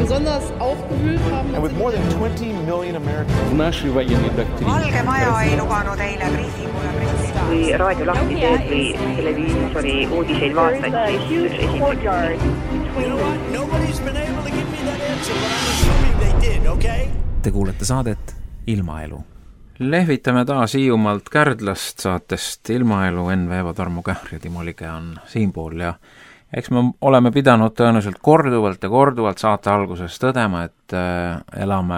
besonders aufgewühlt haben. And with more than 20 million Americans. Наши военные доктрины. Valge Maja ei luganud eile briifingule president. Kui raadio lahti teed või televiisori uudiseid vaatad, siis Nobody's been able to give me that answer, but I'm assuming they did, okay? Te kuulete saadet Ilmaelu. Lehvitame taas Hiiumaalt Kärdlast saatest Ilmaelu. Enn Veeva, Tarmo Kähr ja Timo Lige on siinpool ja eks me oleme pidanud tõenäoliselt korduvalt saate alguses tõdema, et elame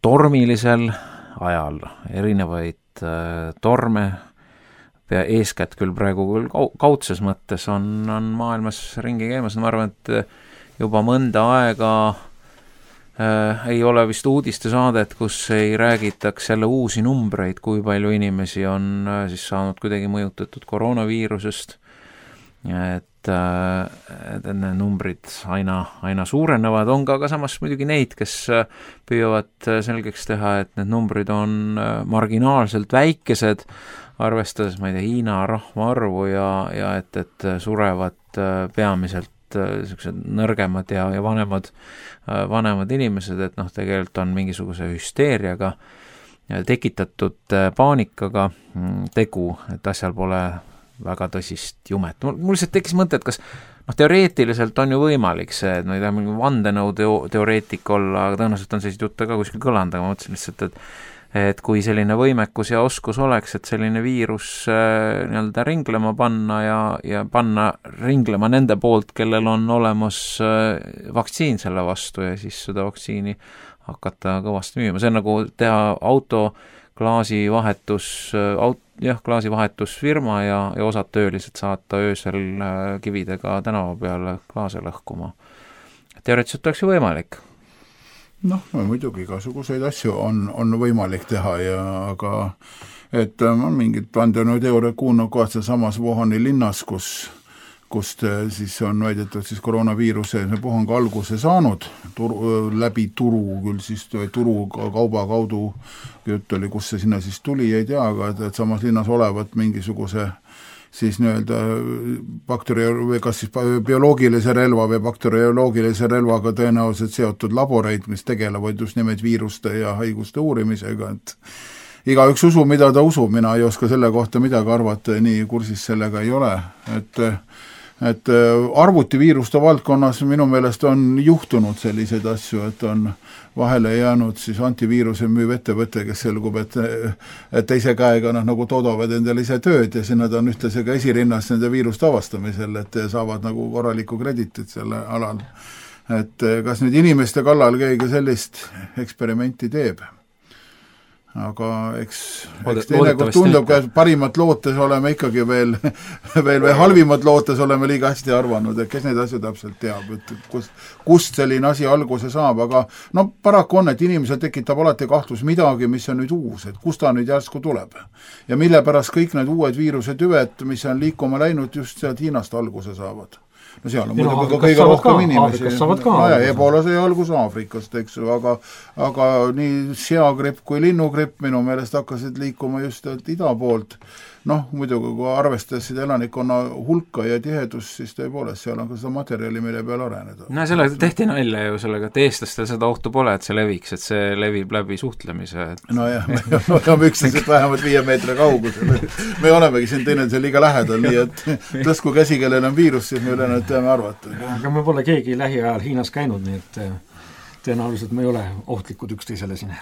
tormilisel ajal. Erinevaid torme, eeskätt küll praegu küll kaudses mõttes on maailmas ringi käimas. Ma arvan, et juba mõnda aega ei ole vist uudistesaadet, kus ei räägitaks jälle uusi numbreid, kui palju inimesi on siis saanud kuidagi mõjutatud koroonaviirusest, et need numbrid aina suurenevad. On ka samas muidugi neid, kes püüavad selgeks teha, et need numbrid on marginaalselt väikesed, arvestades, ma ei tea, Hiina rahvaarvu ja et surevad peamiselt sellised nõrgemad ja vanemad inimesed, et tegelikult on mingisuguse hüsteeriaga tekitatud paanikaga tegu, et asjal pole väga tõsist jumet. Mul lihtsalt tekkis mõte, et kas teoreetiliselt on ju võimalik see, et ma ei tea, mingi vandenõu teoreetik olla, aga tõenäoliselt on sellised jutte ka kuskil kõlanud, aga ma mõtlesin lihtsalt, et kui selline võimekus ja oskus oleks, et selline viirus nii-öelda ringlema panna ja panna ringlema nende poolt, kellel on olemas vaktsiin selle vastu ja siis seda vaktsiini hakata kõvasti müüma. See on nagu teha auto klaasivahetusfirma ja osad töölised saata öösel kividega tänava peale klaase lõhkuma. Teoreetiliselt oleks ju võimalik. Muidugi igasuguseid asju on võimalik teha, aga et on mingid vandenõuteooriad kuulnud kohad samas Wuhani linnas, kust siis on väidetud siis koroonaviiruse puhang alguse saanud läbi turu, küll siis turu kauba kaudu jutt oli, kus see sinna siis tuli, ei tea, aga et samas linnas olevat mingisuguse siis nii-öelda kas siis bioloogilise relva või bakterioloogilise relvaga tõenäoliselt seotud laboreid, mis tegelevad just nimelt viiruste ja haiguste uurimisega, et igaüks usub, mida ta usub, mina ei oska selle kohta midagi arvata, nii kursis sellega ei ole, et arvutiviiruste valdkonnas minu meelest on juhtunud selliseid asju, et on vahele jäänud siis antiviiruse müüv ettevõte, kes selgub, et teise käega nagu toodavad endale ise tööd ja siin nad on ühtlasega esirinnas nende viiruste avastamisel, et saavad nagu korralikku kreditit selle alal. Et kas nüüd inimeste kallal keegi sellist eksperimenti teeb? Aga eks teinekord tundub, et parimat lootes oleme ikkagi veel halvimat lootes oleme liiga hästi arvanud, et kes neid asju täpselt teab, et kust selline asi alguse saab, aga paraku on, et inimesel tekitab alati kahtlus midagi, mis on nüüd uus, et kust ta nüüd järsku tuleb ja mille pärast kõik need uued viirusetüved, mis on liikuma läinud, just sealt Hiinast alguse saavad. Seal on muidugi ka kõige rohkem inimesi. Ebola sai algus Aafrikast, eks ju, aga nii seagripp kui linnugripp minu meelest hakkasid liikuma just ida poolt. Muidugi kui arvestasid elanikkonna hulka ja tihedust, siis tõepoolest seal on ka seda materjali, mille peal areneda. Selle tehti nalja ju sellega, et eestlastel seda ohtu pole, et see leviks, et see levib läbi suhtlemise. Nojah, me oleme üksteisest vähemalt 5 meetri kaugusel. Me olemegi siin teineteisel liiga lähedal, nii et tõsku käsi, kellel on viirus, siis me ülejäänud teame arvata. Aga me pole keegi lähiajal Hiinas käinud, nii et tõenäoliselt me ei ole ohtlikud üksteisele siin.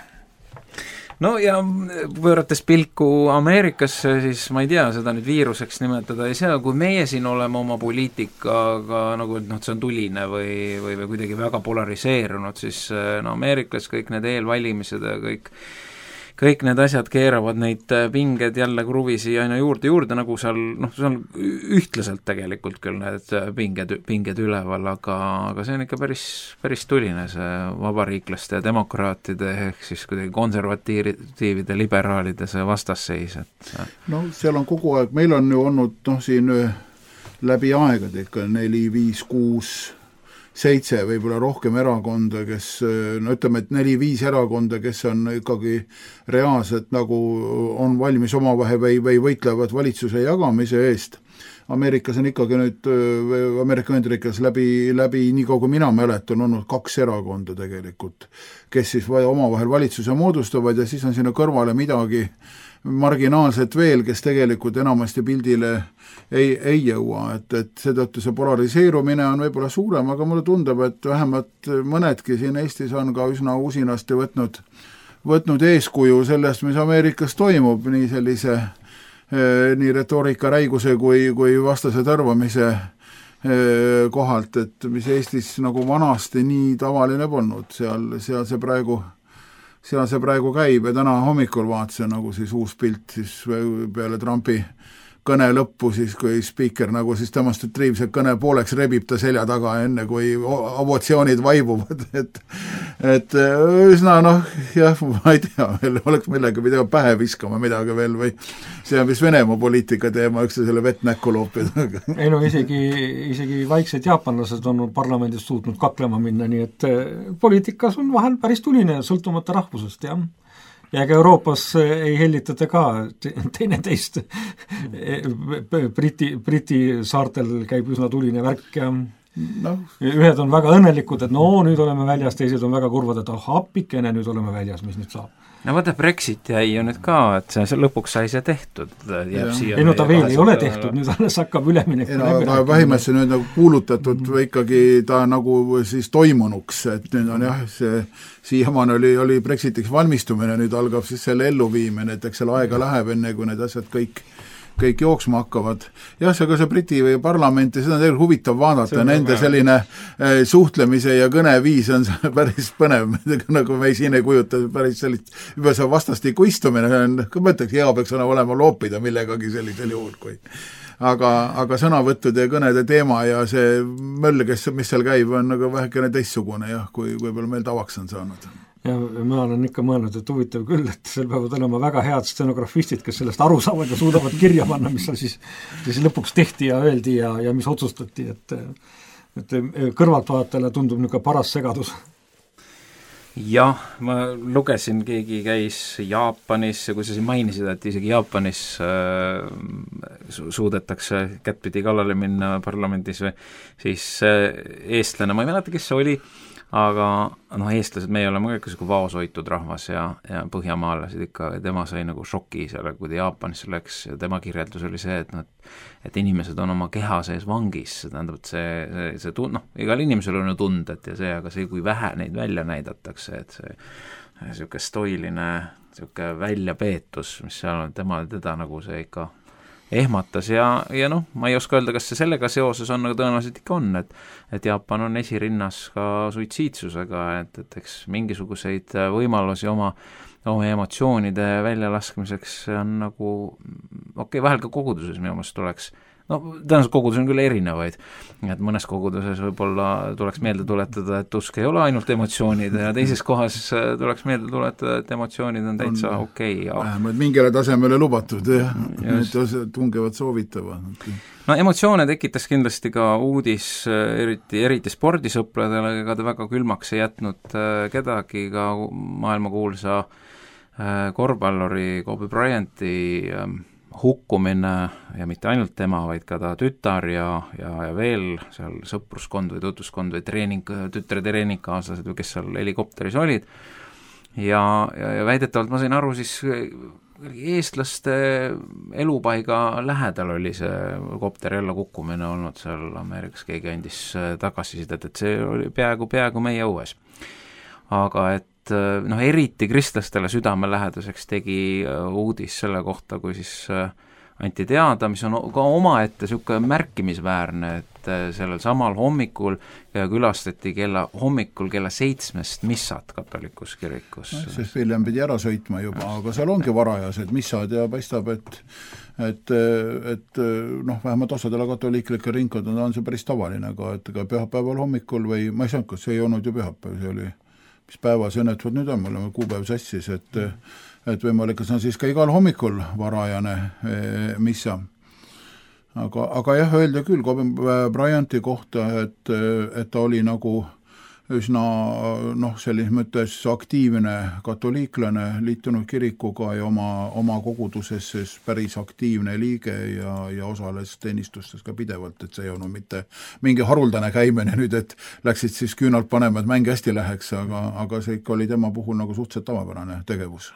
Ja pöörates pilku Ameerikasse, siis ma ei tea, seda nüüd viiruseks nimetada ei saa, kui meie siin oleme oma poliitikaga nagu, et see on tuline või kuidagi väga polariseerunud, siis Ameerikas kõik need eelvalimised ja kõik need asjad keeravad neid pinged jälle kruvisi aina juurde, nagu seal, see on ühtlaselt tegelikult küll need pinged üleval, aga see on ikka päris tuline, see vabariiklaste ja demokraatide ehk siis kuidagi konservatiivide, liberaalide see vastasseis. Seal on kogu aeg, meil on ju olnud siin läbi aegade ikka 4, 5, 6 7 võib-olla rohkem erakonda, kes, ütleme, et 4-5 erakonda, kes on ikkagi reaalselt nagu on valmis omavahel või võitlevad valitsuse jagamise eest. Ameerikas on ikkagi nüüd, Ameerika Ühendriikides läbi nii kaua kui mina mäletan, on olnud 2 erakonda tegelikult, kes siis omavahel valitsuse moodustavad ja siis on sinna kõrvale midagi marginaalset veel, kes tegelikult enamasti pildile ei jõua, et seetõttu see polariseerumine on võib-olla suurem, aga mulle tundub, et vähemalt mõnedki siin Eestis on ka üsna usinasti võtnud eeskuju sellest, mis Ameerikas toimub, nii sellise nii retoorika räiguse kui vastase tõrvamise kohalt, et mis Eestis nagu vanasti nii tavaline polnud, seal see praegu käib ja täna hommikul vaatasin nagu siis uus pilt siis peale Trumpi kõne lõppu, siis kui spiiker nagu siis demonstratiivselt kõne pooleks rebib ta selja taga enne, kui ovotsioonid vaibuvad, et üsna jah, ma ei tea, veel oleks millega pidama pähe viskama midagi veel või see on vist Venemaa poliitika teema, üks selle vett näkku loopida. Ei no isegi vaiksed jaapanlased on parlamendis suutnud kaklema minna, nii et poliitikas on vahel päris tuline sõltumata rahvusest, jah. Ja ega Euroopas ei hellitata ka teineteist. Briti saartel käib üsna tuline värk ja ühed on väga õnnelikud, et nüüd oleme väljas, teised on väga kurvad, et appikene, nüüd oleme väljas, mis nüüd saab. No vaata, Brexit jäi ju nüüd ka, et see lõpuks sai see tehtud. Ei no ta veel ei ole tehtud, nüüd alles hakkab üleminek. Aga vähimesse nüüd nagu kuulutatud või ikkagi ta nagu siis toimunuks, et nüüd on jah, see siiamaan oli Brexitiks valmistumine, nüüd algab siis selle elluviimine, et eks selle aega läheb enne, kui need asjad kõik jooksma hakkavad. Jah, see Briti või parlamenti, seda on tegelikult huvitav vaadata, nende selline suhtlemise ja kõneviis on päris põnev, nagu me siin ei kujuta päris sellist, juba see vastastikku istumine, ma ütleks, hea peaks olema loopida millegagi sellisel juhul, kui aga sõnavõttude ja kõnede teema ja see möll, mis seal käib, on nagu vähekene teistsugune, jah, kui võib-olla meil tavaks on saanud. Ja ma olen ikka mõelnud, et huvitav küll, et seal peavad olema väga head stenografistid, kes sellest aru saavad ja suudavad kirja panna, mis seal siis lõpuks tehti ja öeldi ja mis otsustati, et kõrvaltvaatajale tundub niisugune paras segadus. Jah, ma lugesin, keegi käis Jaapanis, kui sa siin mainisid, et isegi Jaapanis suudetakse kättpidi kallale minna parlamendis või siis eestlane, ma ei mäleta, kes see oli, aga eestlased, meie oleme kõik vaoshoitud rahvas ja põhjamaalased ikka, tema sai nagu šoki selle, kui ta Jaapanisse läks ja tema kirjeldus oli see, et inimesed on oma keha sees vangis, see tähendab, et see igal inimesel on ju tunded ja see, aga see, kui vähe neid välja näidatakse, et see niisugune stoiline niisugune väljapeetus, mis seal on, teda nagu see ikka ehmatas ja ma ei oska öelda, kas see sellega seoses on, aga tõenäoliselt ikka on, et Jaapan on esirinnas ka suitsiidsusega, et eks mingisuguseid võimalusi oma emotsioonide väljalaskmiseks on nagu vahel ka koguduses minu meelest tuleks, tõenäoliselt kogudus on küll erinevaid, et mõnes koguduses võib-olla tuleks meelde tuletada, et usk ei ole ainult emotsioonid ja teises kohas tuleks meelde tuletada, et emotsioonid on täitsa okei. Vähemalt mingile tasemele lubatud, need tungevad soovitava. Emotsioone tekitas kindlasti ka uudis, eriti spordisõpradele, ega ta väga külmaks ei jätnud kedagi, ka maailmakuulsa korvpalluri Kobe Bryanti hukkumine ja mitte ainult tema, vaid ka ta tütar ja veel seal sõpruskond või tutuskond või tütre treeningkaaslased või kes seal helikopteris olid ja väidetavalt ma sain aru siis eestlaste elupaiga lähedal oli see kopteri alla kukkumine olnud seal Ameerikas, keegi andis tagasisidet, et see oli peaaegu meie õues. Aga et eriti kristlastele südamelähedaseks tegi uudis selle kohta, kui siis anti teada, mis on ka omaette niisugune märkimisväärne, et sellel samal hommikul külastati hommikul kella 7 missad katolikus kirikus. Sest William pidi ära sõitma juba, aga seal ongi varajased missad ja paistab, et vähemalt osadele katoliiklikel ringkondadel on see päris tavaline, et ka pühapäeval hommikul või ma ei saanud, kas see ei olnud ju pühapäev, see oli mis päeva see õnnetud nüüd on, mul on kuupäev sassis, et võimalik, et see on siis ka igal hommikul varajane missa. Aga jah, öelda küll Kobe Bryanti kohta, et ta oli nagu üsna selles mõttes aktiivne katoliiklane, liitunud kirikuga ja oma koguduses siis päris aktiivne liige ja osales teenistustes ka pidevalt, et see ei olnud mitte mingi haruldane käimine nüüd, et läksid siis küünalt panema, et mäng hästi läheks, aga see ikka oli tema puhul nagu suhteliselt tavapärane tegevus.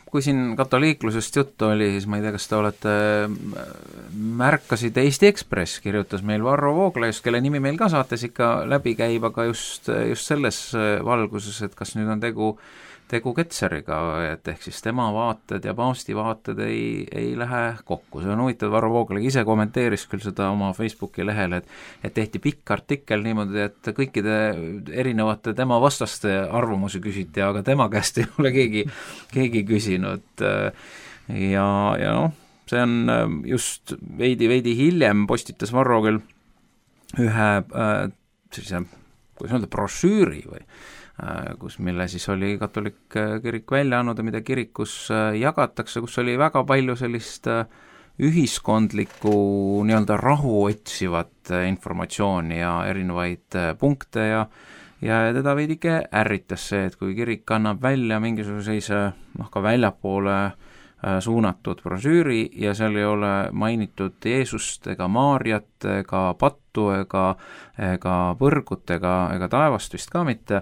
Kui siin katoliiklusest juttu oli, siis ma ei tea, kas te olete märkasid, Eesti Ekspress kirjutas meil Varro Vooglaiust, kelle nimi meil ka saates ikka läbi käib, aga just selles valguses, et kas nüüd on tegu Ketseriga, et ehk siis tema vaated ja paavsti vaated ei lähe kokku. See on huvitav, Varro Vooglaid ise kommenteeris küll seda oma Facebooki lehel, et tehti pikk artikkel niimoodi, et kõikide erinevate tema vastaste arvamusi küsiti, aga tema käest ei ole keegi küsinud. Ja see on just veidi hiljem postitas Varro küll ühe sellise, kuidas öelda, brošüüri või mille siis oli katolik kirik välja andnud ja mida kirikus jagatakse, kus oli väga palju sellist ühiskondlikku nii-öelda rahu otsivat informatsiooni ja erinevaid punkte ja teda veidike ärritas see, et kui kirik annab välja mingisuguse ka väljapoole suunatud brošüüri ja seal ei ole mainitud Jeesust ega Maarjat ega pattu ega põrgut ega taevast vist ka mitte,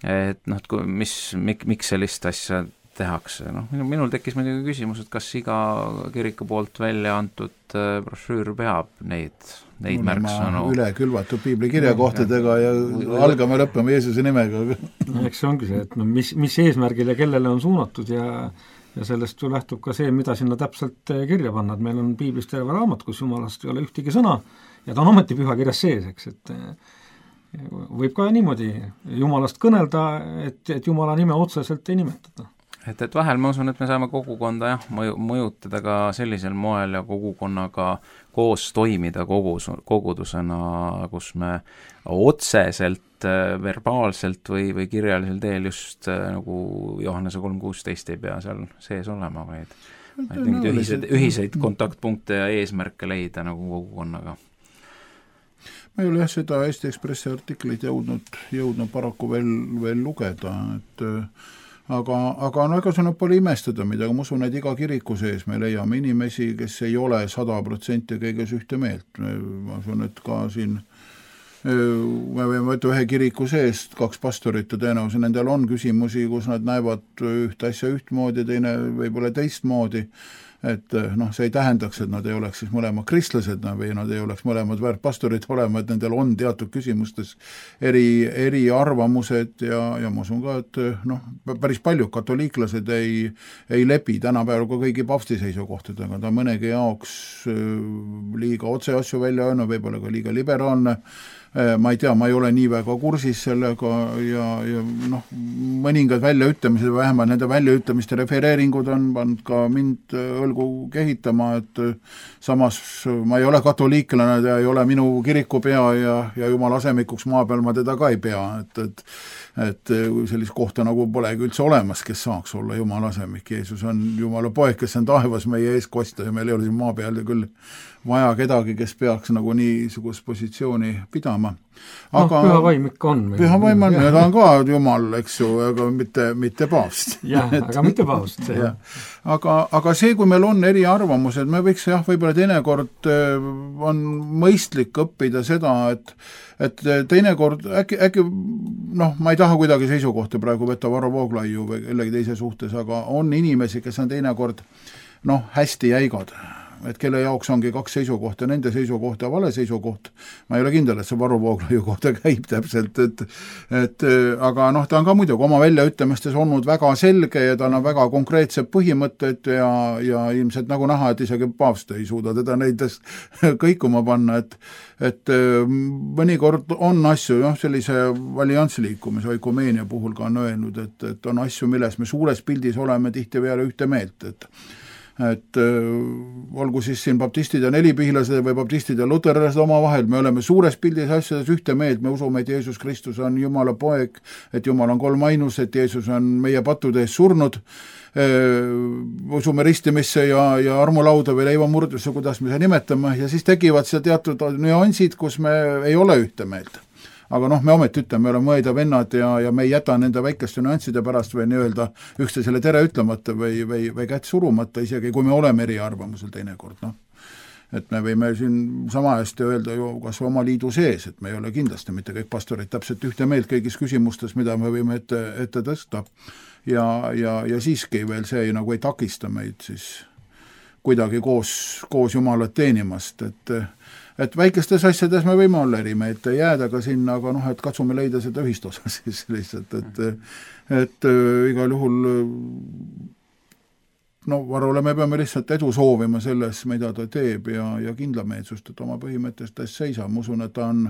et miks sellist asja tehakse. Minul tekkis muidugi küsimus, et kas iga kiriku poolt välja antud brošüür peab neid märksõnu üle külvatud piiblikirjakohtadega ja algame lõppema Jeesuse nimega. Eks see ongi see, et mis eesmärgil ja kellele on suunatud ja sellest ju lähtub ka see, mida sinna täpselt kirja panna, et meil on piiblist terve raamat, kus jumalast ei ole ühtegi sõna ja ta on ometi pühakirjas sees, eks, et võib ka niimoodi jumalast kõnelda, et jumala nime otseselt ei nimetada. Et vahel ma usun, et me saame kogukonda mõjutada ka sellisel moel ja kogukonnaga koos toimida kogudusena, kus me otseselt, verbaalselt või kirjalisel teel just nagu Johannese 3.16 ei pea seal sees olema, vaid mingid ühiseid kontaktpunkte ja eesmärke leida nagu kogukonnaga. Ma ei ole seda Eesti Ekspressi artiklit jõudnud paraku veel lugeda, et aga ega see pole imestada midagi, ma usun, et iga kiriku sees me leiame inimesi, kes ei ole 100% kõiges ühte meelt. Ma usun, et ka siin me võime võtta ühe kiriku seest 2 pastorit ja tõenäoliselt nendel on küsimusi, kus nad näevad ühte asja ühtmoodi, teine võib-olla teistmoodi, et see ei tähendaks, et nad ei oleks siis mõlemad kristlased või nad ei oleks mõlemad väärtpastorid olema, et nendel on teatud küsimustes eri arvamused ja ma usun ka, et päris paljud katoliiklased ei lepi tänapäeval ka kõigi paavsti seisukohtadega, ta mõnegi jaoks liiga otse asju välja öelnud, võib-olla ka liiga liberaalne, ma ei tea, ma ei ole nii väga kursis sellega ja mõningad väljaütlemised, vähemalt nende väljaütlemiste refereeringud on pannud ka mind õlgu kehitama, et samas ma ei ole katoliiklane, ta ei ole minu kirikupea ja jumala asemikuks maa peal ma teda ka ei pea, et sellist kohta nagu polegi üldse olemas, kes saaks olla jumala asemik. Jeesus on jumala poeg, kes on taevas meie ees kosta ja meil ei ole siin maa peal ja küll vaja kedagi, kes peaks nagu niisugust positsiooni pidama. Aga püha vaim ikka on. Püha vaim on, ta on ka jumal, eks ju, aga mitte paavst. Jah, aga mitte paavst. Aga see, kui meil on eri arvamused, me võiks võib-olla teinekord on mõistlik õppida seda, et teinekord äkki ma ei taha kuidagi seisukohta praegu võtta Varro Vooglaiu või kellegi teise suhtes, aga on inimesi, kes on teinekord hästi jäigad, et kelle jaoks ongi 2 seisukohta, nende seisukoht ja vale seisukoht. Ma ei ole kindel, et see Varro Vooglaiu kohta käib täpselt, aga ta on ka muidugi oma väljaütlemistes olnud väga selge ja tal on väga konkreetsed põhimõtted ja ilmselt nagu näha, et isegi paavst ei suuda teda neides kõikuma panna, et mõnikord on asju, sellise alliansliikumise oikumeenia puhul ka on öelnud, et on asju, milles me suures pildis oleme tihti peale ühte meelt, et olgu siis siin baptistid ja nelipihlased või baptistid ja luterlased omavahel, me oleme suures pildis asjades ühte meelt, me usume, et Jeesus Kristus on Jumala poeg, et Jumal on kolmainus, et Jeesus on meie pattude eest surnud, usume ristimisse ja armulauda või leivamurdusse, kuidas me seda nimetame, ja siis tekivad seal teatud nüansid, kus me ei ole ühte meelt. aga noh, me ometi ütleme, me oleme õed ja vennad ja me ei jäta nende väikeste nüansside pärast või nii-öelda üksteisele tere ütlemata või kätt surumata, isegi kui me oleme eriarvamusel teinekord, noh. Et me võime siin sama hästi öelda ju kas oma liidu sees, et me ei ole kindlasti mitte kõik pastorid täpselt ühte meelt kõigis küsimustes, mida me võime ette tõsta ja siiski veel see nagu ei takista meid siis kuidagi koos Jumalat teenimast, et väikestes asjades me võime olla erimeelt jääda ka sinna, aga noh, et katsume leida seda ühistosa siis lihtsalt, et igal juhul no Varule me peame lihtsalt edu soovima selles, mida ta teeb ja kindlameelsust, et oma põhimõttest seisab. Ma usun, et ta on,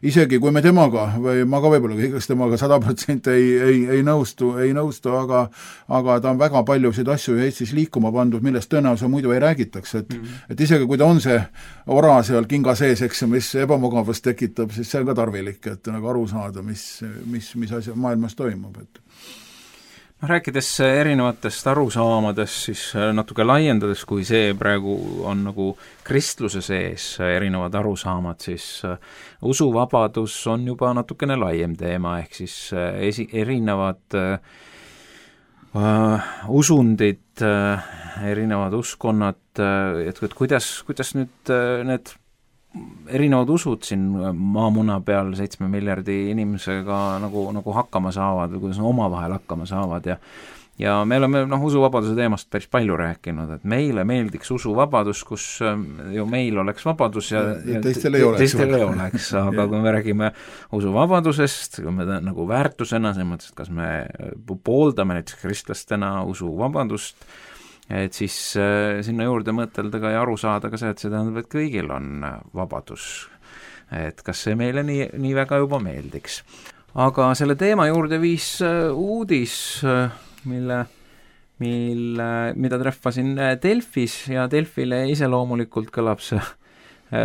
isegi kui me temaga, või ma ka võib-olla kõigest temaga 100% ei nõustu, aga ta on väga paljusid asju Eestis liikuma pandud, millest tõenäoliselt muidu ei räägitaks, et isegi kui ta on see ora seal kinga sees, eks, mis ebamugavust tekitab, siis see on ka tarvilik, et nagu aru saada, mis asja maailmas toimub, et rääkides erinevatest arusaamadest, siis natuke laiendades, kui see praegu on nagu kristluse sees erinevad arusaamad, siis usuvabadus on juba natukene laiem teema, ehk siis erinevad usundid, erinevad uskonnad, et kuidas nüüd need erinevad usud siin maamuna peal 7 miljardi inimesega nagu hakkama saavad või kuidas omavahel hakkama saavad ja me oleme usuvabaduse teemast päris palju rääkinud, et meile meeldiks usuvabadus, kus ju meil oleks vabadus ja teistel ei oleks, aga kui me räägime usuvabadusest, kui me nagu väärtusena, selles mõttes, et kas me pooldame näiteks kristlastena usuvabadust, et siis sinna juurde mõtelda ka ja aru saada ka see, et see tähendab, et kõigil on vabadus. Et kas see meile nii väga juba meeldiks. Aga selle teema juurde viis uudis, mida treffasin Delfis ja Delfile iseloomulikult kõlab see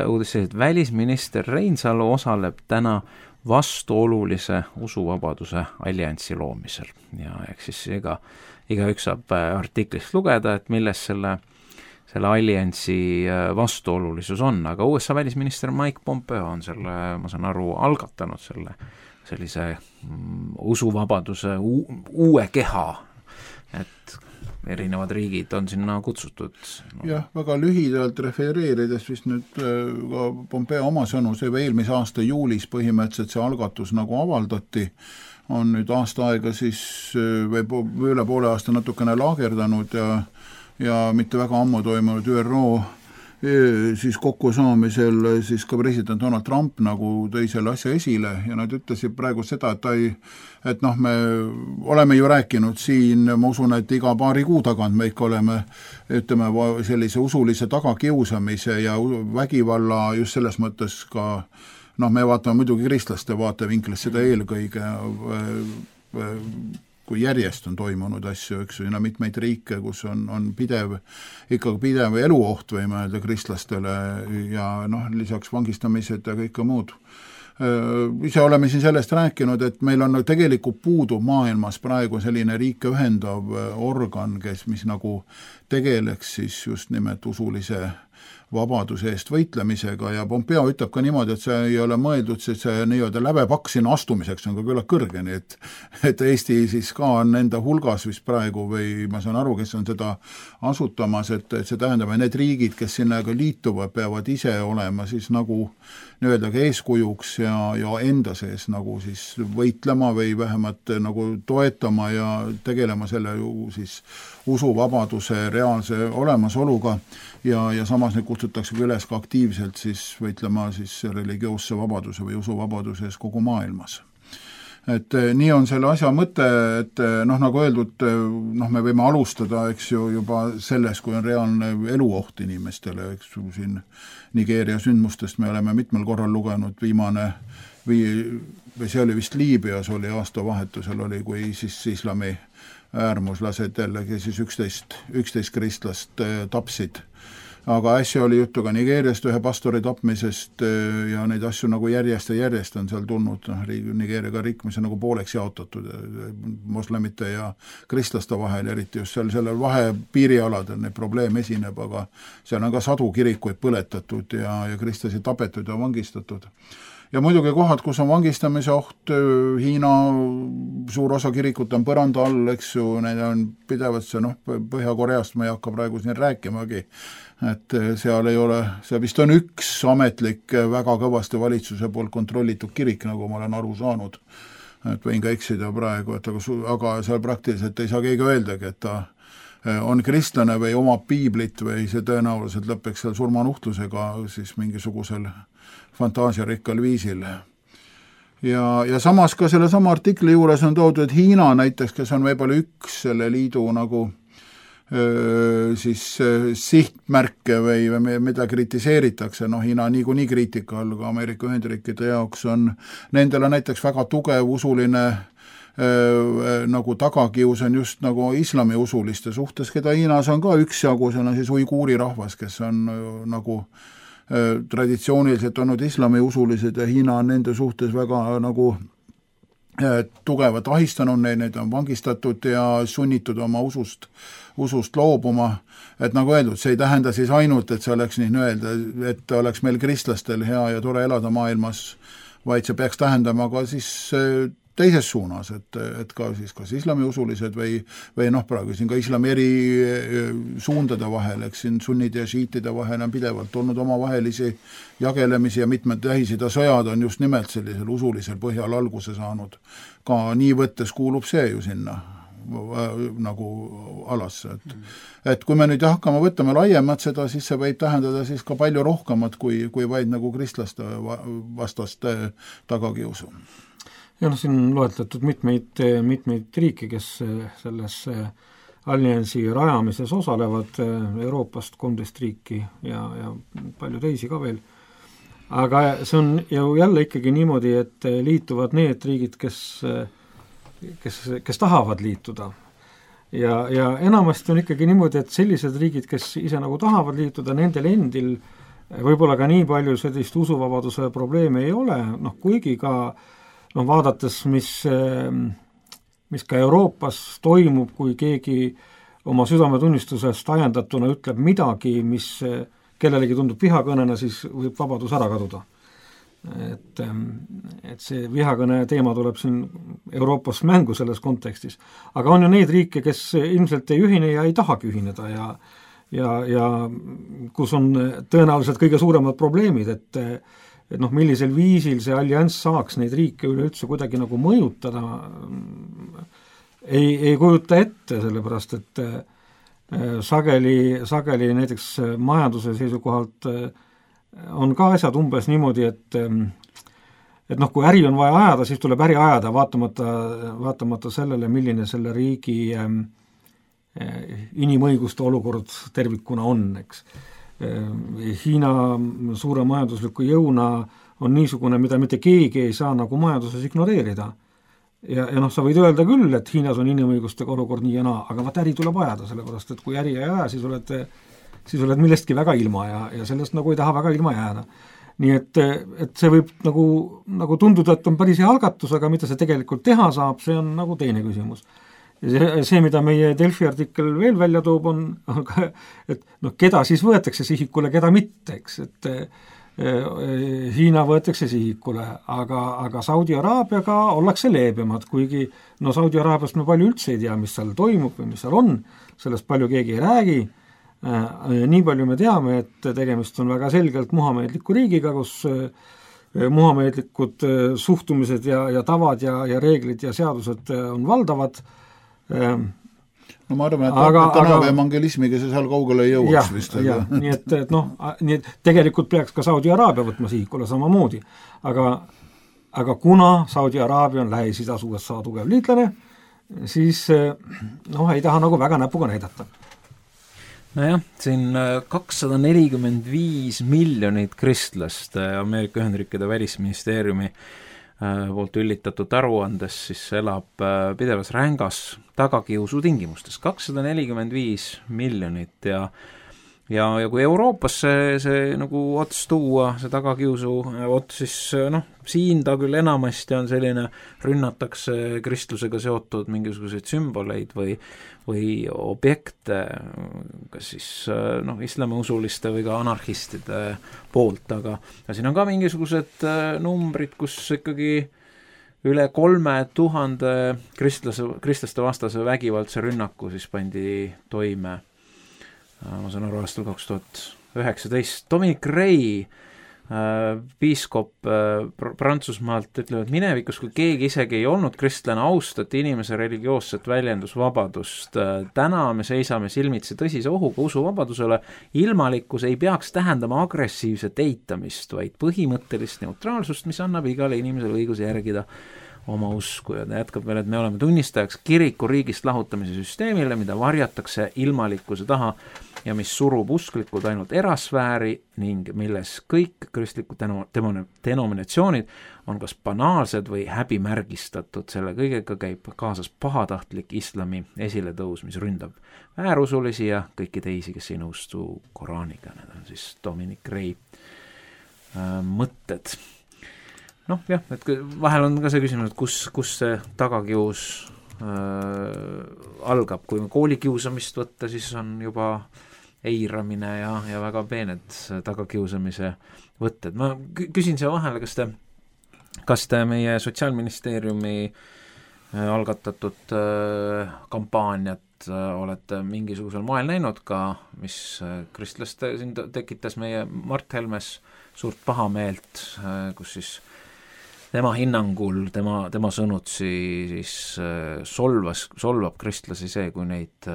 uudis, et välisminister Reinsalu osaleb täna vastuolulise usuvabaduse alliansi loomisel ja eks siis igaüks saab artiklist lugeda, et milles selle alliansi vastuolulisus on, aga USA välisminister Mike Pompeo on selle, ma saan aru, algatanud sellise usuvabaduse uue keha, et erinevad riigid on sinna kutsutud. Jah, väga lühidalt refereerides vist nüüd ka Pompeo oma sõnu, see eelmise aasta juulis põhimõtteliselt see algatus nagu avaldati, on nüüd aasta aega siis või üle poole aasta natukene laagerdanud ja mitte väga ammu toimunud ÜRO siis kokkusaamisel siis ka president Donald Trump nagu tõi selle asja esile ja nad ütlesid praegu seda, et noh, me oleme ju rääkinud siin, ma usun, et iga paari kuu tagant me ikka oleme, ütleme, sellise usulise tagakiusamise ja vägivalla just selles mõttes ka noh, me vaatame muidugi kristlaste vaatevinklis seda eelkõige, kui järjest on toimunud asju, eks ju, mitmeid riike, kus on pidev eluoht, võime öelda kristlastele ja noh, lisaks vangistamised ja kõike muud. Ise oleme siin sellest rääkinud, et meil on tegelikult puudu maailmas praegu selline riike ühendav organ, mis nagu tegeleks siis just nimelt usulise vabaduse eest võitlemisega ja Pompeo ütleb ka niimoodi, et see ei ole mõeldud, see nii-öelda lävepaks sinna astumiseks on ka küllalt kõrge, nii et Eesti siis ka on enda hulgas vist praegu või ma saan aru, kes on seda asutamas, et see tähendab, et need riigid, kes sinnaga liituvad, peavad ise olema siis nagu nii-öelda ka eeskujuks ja enda sees nagu siis võitlema või vähemalt nagu toetama ja tegelema selle ju siis usuvabaduse reaalse olemasoluga ja samas neid kutsutakse üles ka aktiivselt siis võitlema siis religioosse vabaduse või usuvabaduse ees kogu maailmas. Et nii on selle asja mõte, et noh, nagu öeldud, noh, me võime alustada, eks ju, juba selles, kui on reaalne eluoht inimestele, eks ju, siin Nigeeria sündmustest me oleme mitmel korral lugenud, viimane või see oli vist Liibüas oli aastavahetusel oli, kui siis islami äärmuslased jällegi siis 11 kristlast tapsid. Aga äsja oli juttu ka Nigeeriast ühe pastori tapmisest ja neid asju nagu järjest on seal tulnud, Nigeeriaga riik, mis on nagu pooleks jaotatud moslemite ja kristlaste vahel, eriti just selle vahepiirialadel neid probleem esineb, aga seal on ka sadu kirikuid põletatud ja kristlasi tapetud ja vangistatud. ja muidugi kohad, kus on vangistamise oht, Hiina suur osa kirikut on põranda all, eks ju, need on pidevalt see, Põhja-Koreast ma ei hakka praegu siin rääkimagi, et seal ei ole, see vist on üks ametlik väga kõvasti valitsuse poolt kontrollitud kirik, nagu ma olen aru saanud, et võin ka eksida praegu, et aga seal praktiliselt ei saa keegi öeldagi, et ta on kristlane või omab piiblit või see tõenäoliselt lõpeks seal surmanuhtlusega siis mingisugusel fantaasiarikkal viisil. Ja samas ka selle sama artikli juures on toodud, et Hiina näiteks, kes on võib-olla üks selle liidu nagu siis sihtmärke või mida kritiseeritakse, Hiina niikuinii kriitika all ka Ameerika Ühendriikide jaoks on, nendele näiteks väga tugev usuline nagu tagakius on just nagu islamiusuliste suhtes, keda Hiinas on ka üksjagu, see on siis uiguuri rahvas, kes on nagu traditsiooniliselt olnud islamiusulised ja Hiina on nende suhtes väga nagu tugevalt ahistanud, neid on vangistatud ja sunnitud oma usust loobuma, et nagu öeldud, see ei tähenda siis ainult, et see oleks nii öelda, et oleks meil kristlastel hea ja tore elada maailmas, vaid see peaks tähendama ka siis teises suunas, et ka siis kas islamiusulised või praegu siin ka islami eri suundade vahel, eks siin sunnide ja šiitide vahel on pidevalt olnud omavahelisi jagelemisi ja mitmed Lähis-Ida sõjad on just nimelt sellisel usulisel põhjal alguse saanud. Ka nii võttes kuulub see ju sinna nagu alasse, et kui me nüüd hakkame võtama laiemalt seda, siis see võib tähendada siis ka palju rohkemat kui vaid nagu kristlaste vastaste tagakiusu. Ja siin loetletud mitmeid riike, kes selles alliansi rajamises osalevad, Euroopast 13 riiki ja palju teisi ka veel. Aga see on ju jälle ikkagi niimoodi, et liituvad need riigid, kes tahavad liituda. Ja enamasti on ikkagi niimoodi, et sellised riigid, kes ise nagu tahavad liituda, nendel endil võib-olla ka nii palju sellist usuvabaduse probleeme ei ole, kuigi ka vaadates, mis ka Euroopas toimub, kui keegi oma südametunnistusest ajendatuna ütleb midagi, mis kellelegi tundub vihakõnena, siis võib vabadus ära kaduda. Et see vihakõne teema tuleb siin Euroopas mängu selles kontekstis. Aga on ju neid riike, kes ilmselt ei ühine ja ei tahagi ühineda ja kus on tõenäoliselt kõige suuremad probleemid, et millisel viisil see allianss saaks neid riike üleüldse kuidagi nagu mõjutada, ei kujuta ette, sellepärast et sageli näiteks majanduse seisukohalt on ka asjad umbes niimoodi, et kui äri on vaja ajada, siis tuleb äri ajada vaatamata sellele, milline selle riigi inimõiguste olukord tervikuna on, eks. Hiina suure majandusliku jõuna on niisugune, mida mitte keegi ei saa nagu majanduses ignoreerida. Ja sa võid öelda küll, et Hiinas on inimõigustega olukord nii ja naa, aga äri tuleb ajada, sellepärast, et kui äri ei aja, siis oled millestki väga ilma ja sellest nagu ei taha väga ilma jääda. Nii et see võib nagu tunduda, et on päris hea algatus, aga mida see tegelikult teha saab, see on nagu teine küsimus. Ja see, mida meie Delfi artikkel veel välja toob, on ka, et keda siis võetakse sihikule, keda mitte, eks, et Hiina võetakse sihikule, aga Saudi Araabiaga ollakse leebemad, kuigi Saudi Araabiast me palju üldse ei tea, mis seal toimub või mis seal on, sellest palju keegi ei räägi. Nii palju me teame, et tegemist on väga selgelt muhameedliku riigiga, kus muhameedlikud suhtumised ja tavad ja reeglid ja seadused on valdavad. Ma arvan, et tänava evangelismiga see seal kaugele ei jõuaks vist. Nii et tegelikult peaks ka Saudi Araabia võtma sihikule samamoodi. Aga kuna Saudi Araabia on Lähis-Idas USA tugev liitlane, siis ei taha nagu väga näpuga näidata. Nojah, siin 245 miljonit kristlast Ameerika Ühendriikide välisministeeriumi poolt üllitatud aruandes siis elab pidevas rängas tagakiusu tingimustes. 245 miljonit ja ja kui Euroopas see nagu ots tuua, see tagakiusu ots, siis siin ta küll enamasti on selline, rünnatakse kristlusega seotud mingisuguseid sümboleid või objekte, kas siis islamiusuliste või ka anarhistide poolt, aga siin on ka mingisugused numbrid, kus ikkagi üle 3000 kristlaste vastase vägivaldse rünnaku siis pandi toime, ma saan aru, aastal 2019. Dominic Ray, piiskop Prantsusmaalt, ütleb, et minevikus, kui keegi isegi ei olnud kristlane, austati inimese religioosset väljendusvabadust. Täna me seisame silmitsi tõsise ohuga usuvabadusele. Ilmalikkus ei peaks tähendama agressiivset eitamist, vaid põhimõttelist neutraalsust, mis annab igale inimesele õiguse järgida oma usku, ja ta jätkab veel, et me oleme tunnistajaks kiriku riigist lahutamise süsteemile, mida varjatakse ilmalikkuse taha ja mis surub usklikud ainult erasfääri ning milles kõik kristlikud denominatsioonid on kas banaalsed või häbimärgistatud. Selle kõigega käib kaasas pahatahtlik islami esiletõus, mis ründab väärusulisi ja kõiki teisi, kes ei nõustu Koraaniga. Need on siis Dominic Ray mõtted. Jah, et vahel on ka see küsimus, et kus see tagakius algab. Kui koolikiusamist võtta, siis on juba eiramine ja väga peened tagakiusamise võtted. Ma küsin siia vahele, kas te meie Sotsiaalministeeriumi algatatud kampaaniat olete mingisugusel moel näinud ka, mis kristlaste siin tekitas meie Mart Helmes suurt pahameelt, kus siis tema hinnangul, tema sõnutsi siis solvab kristlasi see, kui neid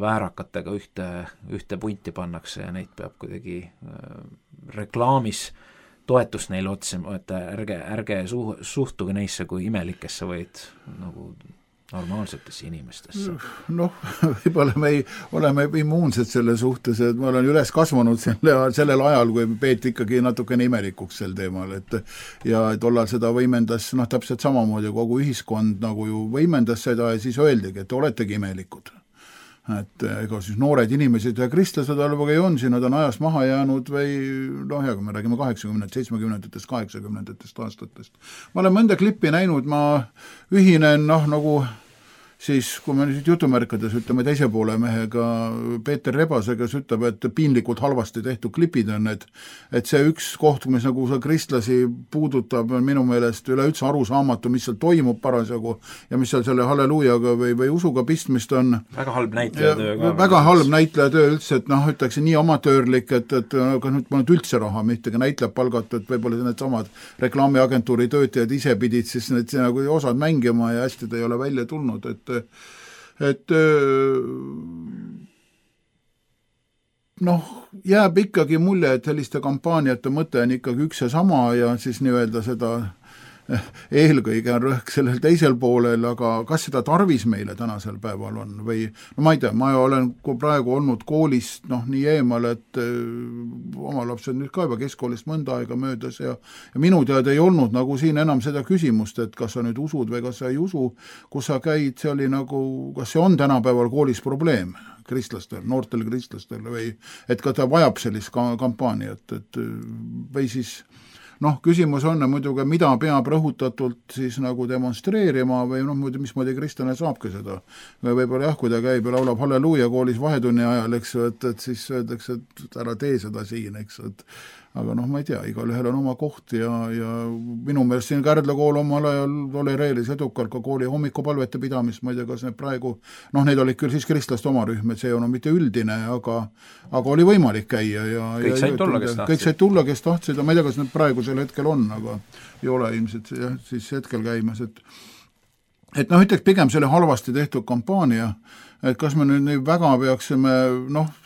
väärakatega ühte punti pannakse ja neid peab kuidagi reklaamis toetust neile otsima, et ärge suhtuge neisse kui imelikesse, vaid nagu normaalsetesse inimestesse. Võib-olla me oleme immuunsed selle suhtes, et ma olen üles kasvanud sellel ajal, kui peeti ikkagi natukene imelikuks sel teemal, ja tollal seda võimendas täpselt samamoodi kogu ühiskond nagu ju võimendas seda ja siis öeldigi, et oletegi imelikud. Et ega siis noored inimesed ja kristlased alvega ei on, siin nad on ajast maha jäänud või kui me räägime 80, 70, 80 aastatest. Ma olen mõnda klippi näinud, ma ühinen nagu siis, kui me nüüd jutumärkades ütleme teise poole mehega Peeter Rebasega, kes ütleb, et piinlikult halvasti tehtud klipid on, et see üks koht, mis nagu kristlasi puudutab, on minu meelest üleüldse arusaamatu, mis seal toimub parasjagu ja mis seal selle halleluujaga või usuga pistmist on. Väga halb näitlejatöö. Väga halb näitlejatöö üldse, et ütleks nii amatöörlik, et nüüd ma nüüd üldse raha mittegi näitleb palgatud, võib-olla need samad reklaamiagentuuri töötajad ise pidid siis need nagu osad mängima ja hästi ta ei ole välja tulnud, jääb ikkagi mulje, et selliste kampaaniate mõte on ikkagi üks ja sama ja siis nii-öelda seda eelkõige on rõhk sellel teisel poolel, aga kas seda tarvis meile tänasel päeval on või ma ei tea, ma olen praegu olnud koolist nii eemal, et oma lapsed nüüd ka juba keskkoolist mõnda aega möödas ja minu teada ei olnud nagu siin enam seda küsimust, et kas sa nüüd usud või kas sa ei usu, kus sa käid, see oli nagu, kas see on tänapäeval koolis probleem kristlastel, noortel kristlastel või et ka ta vajab sellist kampaaniat, et või siis küsimus on muidugi, mida peab rõhutatult siis nagu demonstreerima või muidu mismoodi kristlane saabki seda. Võib-olla kui ta käib ja laulab halleluuja koolis vahetunni ajal, eks, et siis öeldakse, et ära tee seda siin, eks, aga ma ei tea, igal ühel on oma koht ja minu meelest siin Kärdla kool omal ajal tolereeris edukalt ka kooli hommikupalvete pidamist, ma ei tea, kas need praegu, need olid küll siis kristlaste oma rühm, et see on mitte üldine, aga oli võimalik käia ja kõik said tulla, kes tahtsid, ma ei tea, kas need praegusel hetkel on, aga ei ole ilmselt siis hetkel käimas, et ütleks pigem selle halvasti tehtud kampaania, et kas me nüüd väga peaksime,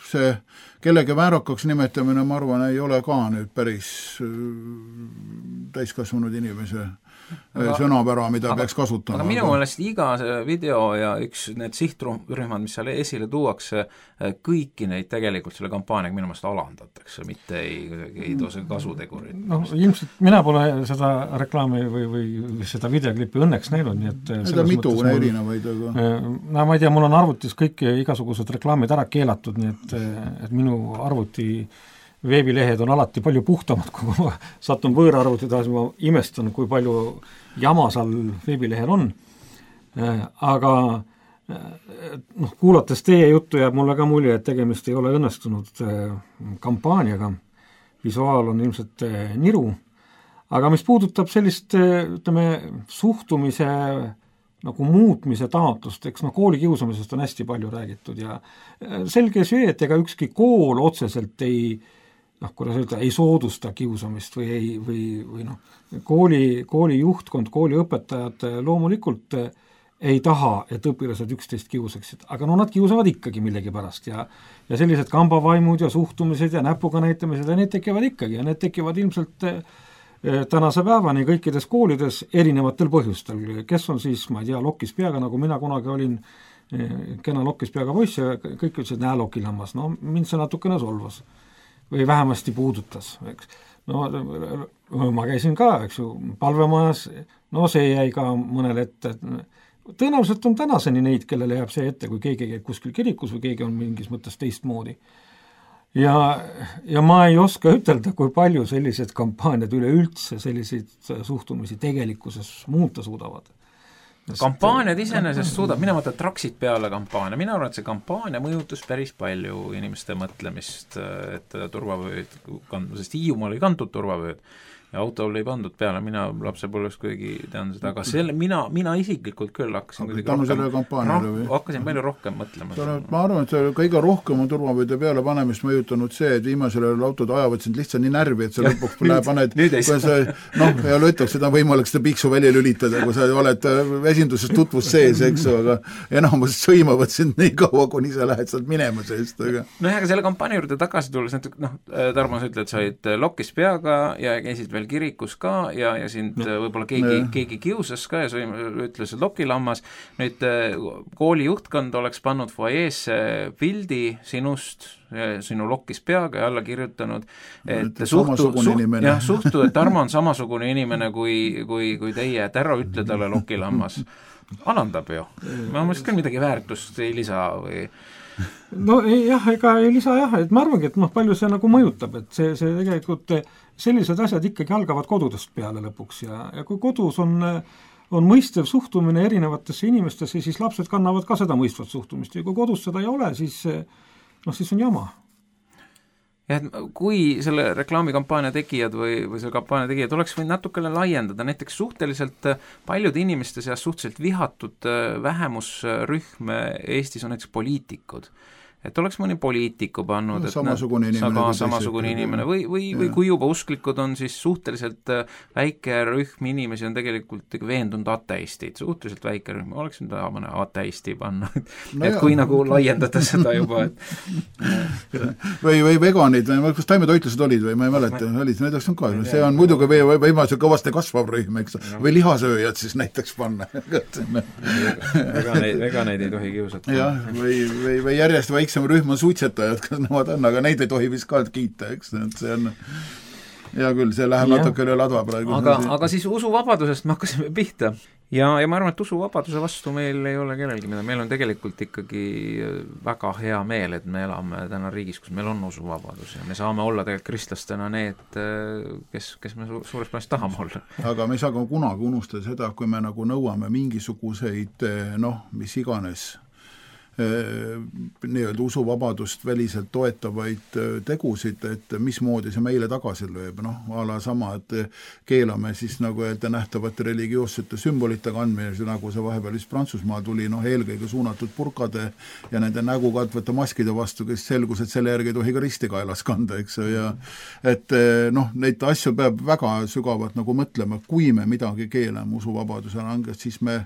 see kellegi väärakaks nimetamine, ma arvan, ei ole ka nüüd päris täiskasvanud inimese sõnapära, mida peaks kasutama. Aga minu meelest iga video ja üks need sihtrühmad, mis seal esile tuuakse, kõiki neid tegelikult selle kampaaniaga minu meelest alandatakse, mitte ei too see kasutegurit. No ilmselt mina pole seda reklaami või seda videoklipi õnneks näinud, nii et seda mitu erinevaid, aga no ma ei tea, mul on arvutis kõik igasugused reklaamid ära keelatud, nii et minu arvuti veebilehed on alati palju puhtamad, kui ma satun võõra arvuti taas, ma imestan, kui palju jama seal veebilehel on. Aga kuulates teie juttu jääb mulle ka mulje, et tegemist ei ole õnnestunud kampaaniaga. Visuaal on ilmselt niru. Aga mis puudutab sellist, ütleme, suhtumise nagu muutmise taotlust, eks koolikiusamisest on hästi palju räägitud ja selge see, et ega ükski kool otseselt kuidas öelda, ei soodusta kiusamist või kooli juhtkond, kooli õpetajad loomulikult ei taha, et õpilased üksteist kiusaksid, aga nad kiusavad ikkagi millegi pärast ja sellised kambavaimud ja suhtumised ja näpuga näitamised ja need tekivad ikkagi ja need tekivad ilmselt tänase päevani kõikides koolides erinevatel põhjustel, kes on siis, ma ei tea, lokkis peaga, nagu mina kunagi olin kena lokkis peaga poiss ja kõik ütlesid, näe lokilammas, mind see natukene solvas või vähemasti puudutas, eks. Ma käisin ka, eks ju, palvemajas, see jäi ka mõnele ette, tõenäoliselt on tänaseni neid, kellele jääb see ette, kui keegi käib kuskil kirikus või keegi on mingis mõttes teistmoodi. Ja ma ei oska ütelda, kui palju sellised kampaaniad üleüldse selliseid suhtumisi tegelikkuses muuta suudavad. Kampaaniad iseenesest suudab, mina mõtlen traksid peale kampaania, mina arvan, et see kampaania mõjutas päris palju inimeste mõtlemist, et turvavööd, sest Hiiumaal ei kantud turvavööd ja autol ei pandud peale, mina lapsepõlves kuigi tean seda, aga selle, mina isiklikult küll hakkasin palju rohkem mõtlema. Ma arvan, et kõige rohkem on turvavööde peale panemist mõjutanud see, et viimasel autod ajavad sind lihtsalt nii närvi, et sa lõpuks paned, ja ütleks, seda võimalik seda piiksu välja lülitada, kui sa oled esinduses tutvus sees, eks, aga enamus sõimavad sind nii kaua, kuni sa lähed sealt minema seest. Aga selle kampaania juurde tagasi tulles, Tarmo, sa ütled, sa olid lokkis peaga ja käisid veel kirikus ka ja sind võib-olla keegi kiusas ka ja sa ütles, et lokilammas. Nüüd kooli juhtkond oleks pannud foajeesse pildi sinust, sinu lokkis peaga ja alla kirjutanud, et suhtu, et Tarmo on samasugune inimene kui teie, et ära ütle talle lokilammas. Alandab ju. Ma mõtlesin küll midagi väärtust ei lisa või... ega ei lisa et ma arvangi, et palju see nagu mõjutab, et see tegelikult sellised asjad ikkagi algavad kodudest peale lõpuks ja kui kodus on mõistev suhtumine erinevatesse inimestesse, siis lapsed kannavad ka seda mõistvat suhtumist ja kui kodus seda ei ole, siis on jama. Ja kui selle reklaamikampaania tegijad või selle kampaania tegijad oleks võinud natukene laiendada, näiteks suhteliselt paljude inimeste seas suhteliselt vihatud vähemusrühm Eestis on näiteks poliitikud. Et oleks mõni poliitiku pannud, samasugune inimene või kui juba usklikud on, siis suhteliselt väike rühm inimesi on tegelikult veendunud ateistid, suhteliselt väike rühm, oleks nüüd mõne ateisti panna, et kui nagu laiendada seda juba, või veganid, kas taimetoitlused olid või ma ei mäleta, näiteks on ka, see on muidugi võimalik kõvasti kasvav rühm, eks, või lihasööjad siis näiteks panna. Veganeid ei tohi kiusata. Või järjest väiksem rühm on suitsetajad, kas nemad on, aga neid ei tohi vist ka kiita, eks, see on hea küll, see läheb natuke üle ladva praegu. Aga siis usuvabadusest me hakkasime pihta ja ma arvan, et usuvabaduse vastu meil ei ole kellelgi, meil on tegelikult ikkagi väga hea meel, et me elame täna riigis, kus meil on usuvabadus ja me saame olla tegelikult kristlastena need, kes me suures plaanis tahame olla. Aga me ei saa kunagi unustada seda, kui me nagu nõuame mingisuguseid, mis iganes nii-öelda usuvabadust väliselt toetavaid tegusid, et mismoodi see meile tagasi lööb, ala sama, et keelame siis nagu öelda nähtavate religioossete sümbolite kandmine, nagu see vahepeal vist Prantsusmaa tuli, eelkõige suunatud purkade ja nende nägu katvate maskide vastu, kes selgus, et selle järgi ei tohi ka risti kaelas kanda, eks, ja et neid asju peab väga sügavalt nagu mõtlema, kui me midagi keelame usuvabaduse langest, siis me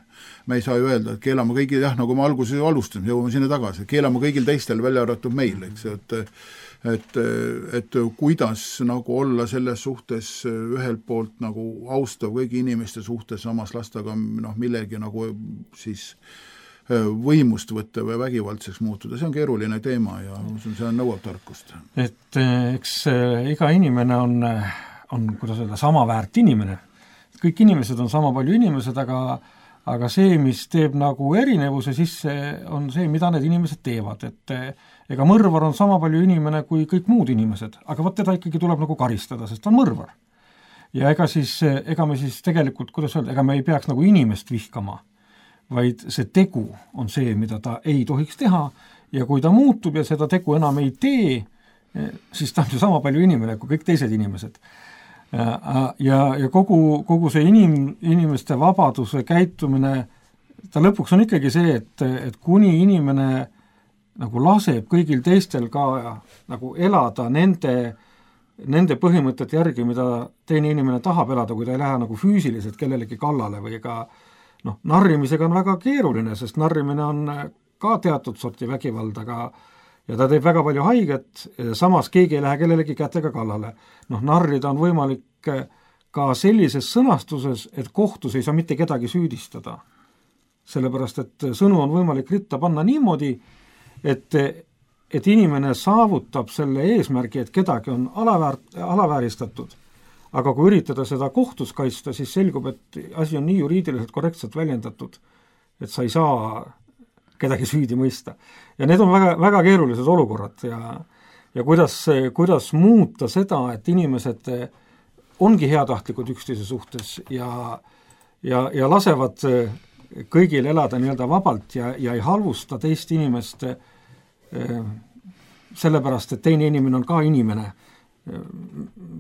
ei saa ju öelda, et keelame kõigi, nagu me alguses alustasime, jõuame sinna tagasi, keelame kõigil teistel välja arvatud meil, eks, et kuidas nagu olla selles suhtes ühelt poolt nagu austav kõigi inimeste suhtes, samas lasta ka millegi nagu siis võimust võtta või vägivaldseks muutuda, see on keeruline teema ja see on nõuab tarkust. Et eks iga inimene on kuidas öelda, sama väärt inimene. Kõik inimesed on sama palju inimesed, aga see, mis teeb nagu erinevuse sisse, on see, mida need inimesed teevad, et ega mõrvar on sama palju inimene kui kõik muud inimesed, aga teda ikkagi tuleb nagu karistada, sest ta on mõrvar. Ja ega me siis tegelikult, kuidas öelda, ega me ei peaks nagu inimest vihkama, vaid see tegu on see, mida ta ei tohiks teha ja kui ta muutub ja seda tegu enam ei tee, siis ta on ju sama palju inimene kui kõik teised inimesed. Ja kogu see inimeste vabaduse käitumine, ta lõpuks on ikkagi see, et kuni inimene nagu laseb kõigil teistel ka nagu elada nende põhimõtete järgi, mida teine inimene tahab elada, kui ta ei lähe nagu füüsiliselt kellelegi kallale või ka narrimisega on väga keeruline, sest narrimine on ka teatud sorti vägivald, ja ta teeb väga palju haiget, samas keegi ei lähe kellelegi kätega kallale. Narrida on võimalik ka sellises sõnastuses, et kohtus ei saa mitte kedagi süüdistada. Sellepärast, et sõnu on võimalik ritta panna niimoodi, et inimene saavutab selle eesmärgi, et kedagi on alavääristatud, aga kui üritada seda kohtus kaitsta, siis selgub, et asi on nii juriidiliselt korrektselt väljendatud, et sa ei saa kedagi süüdi mõista. Ja need on väga, väga keerulised olukorrad ja kuidas muuta seda, et inimesed ongi heatahtlikud üksteise suhtes ja lasevad kõigil elada nii-öelda vabalt ja ei halvusta teist inimest sellepärast, et teine inimene on ka inimene.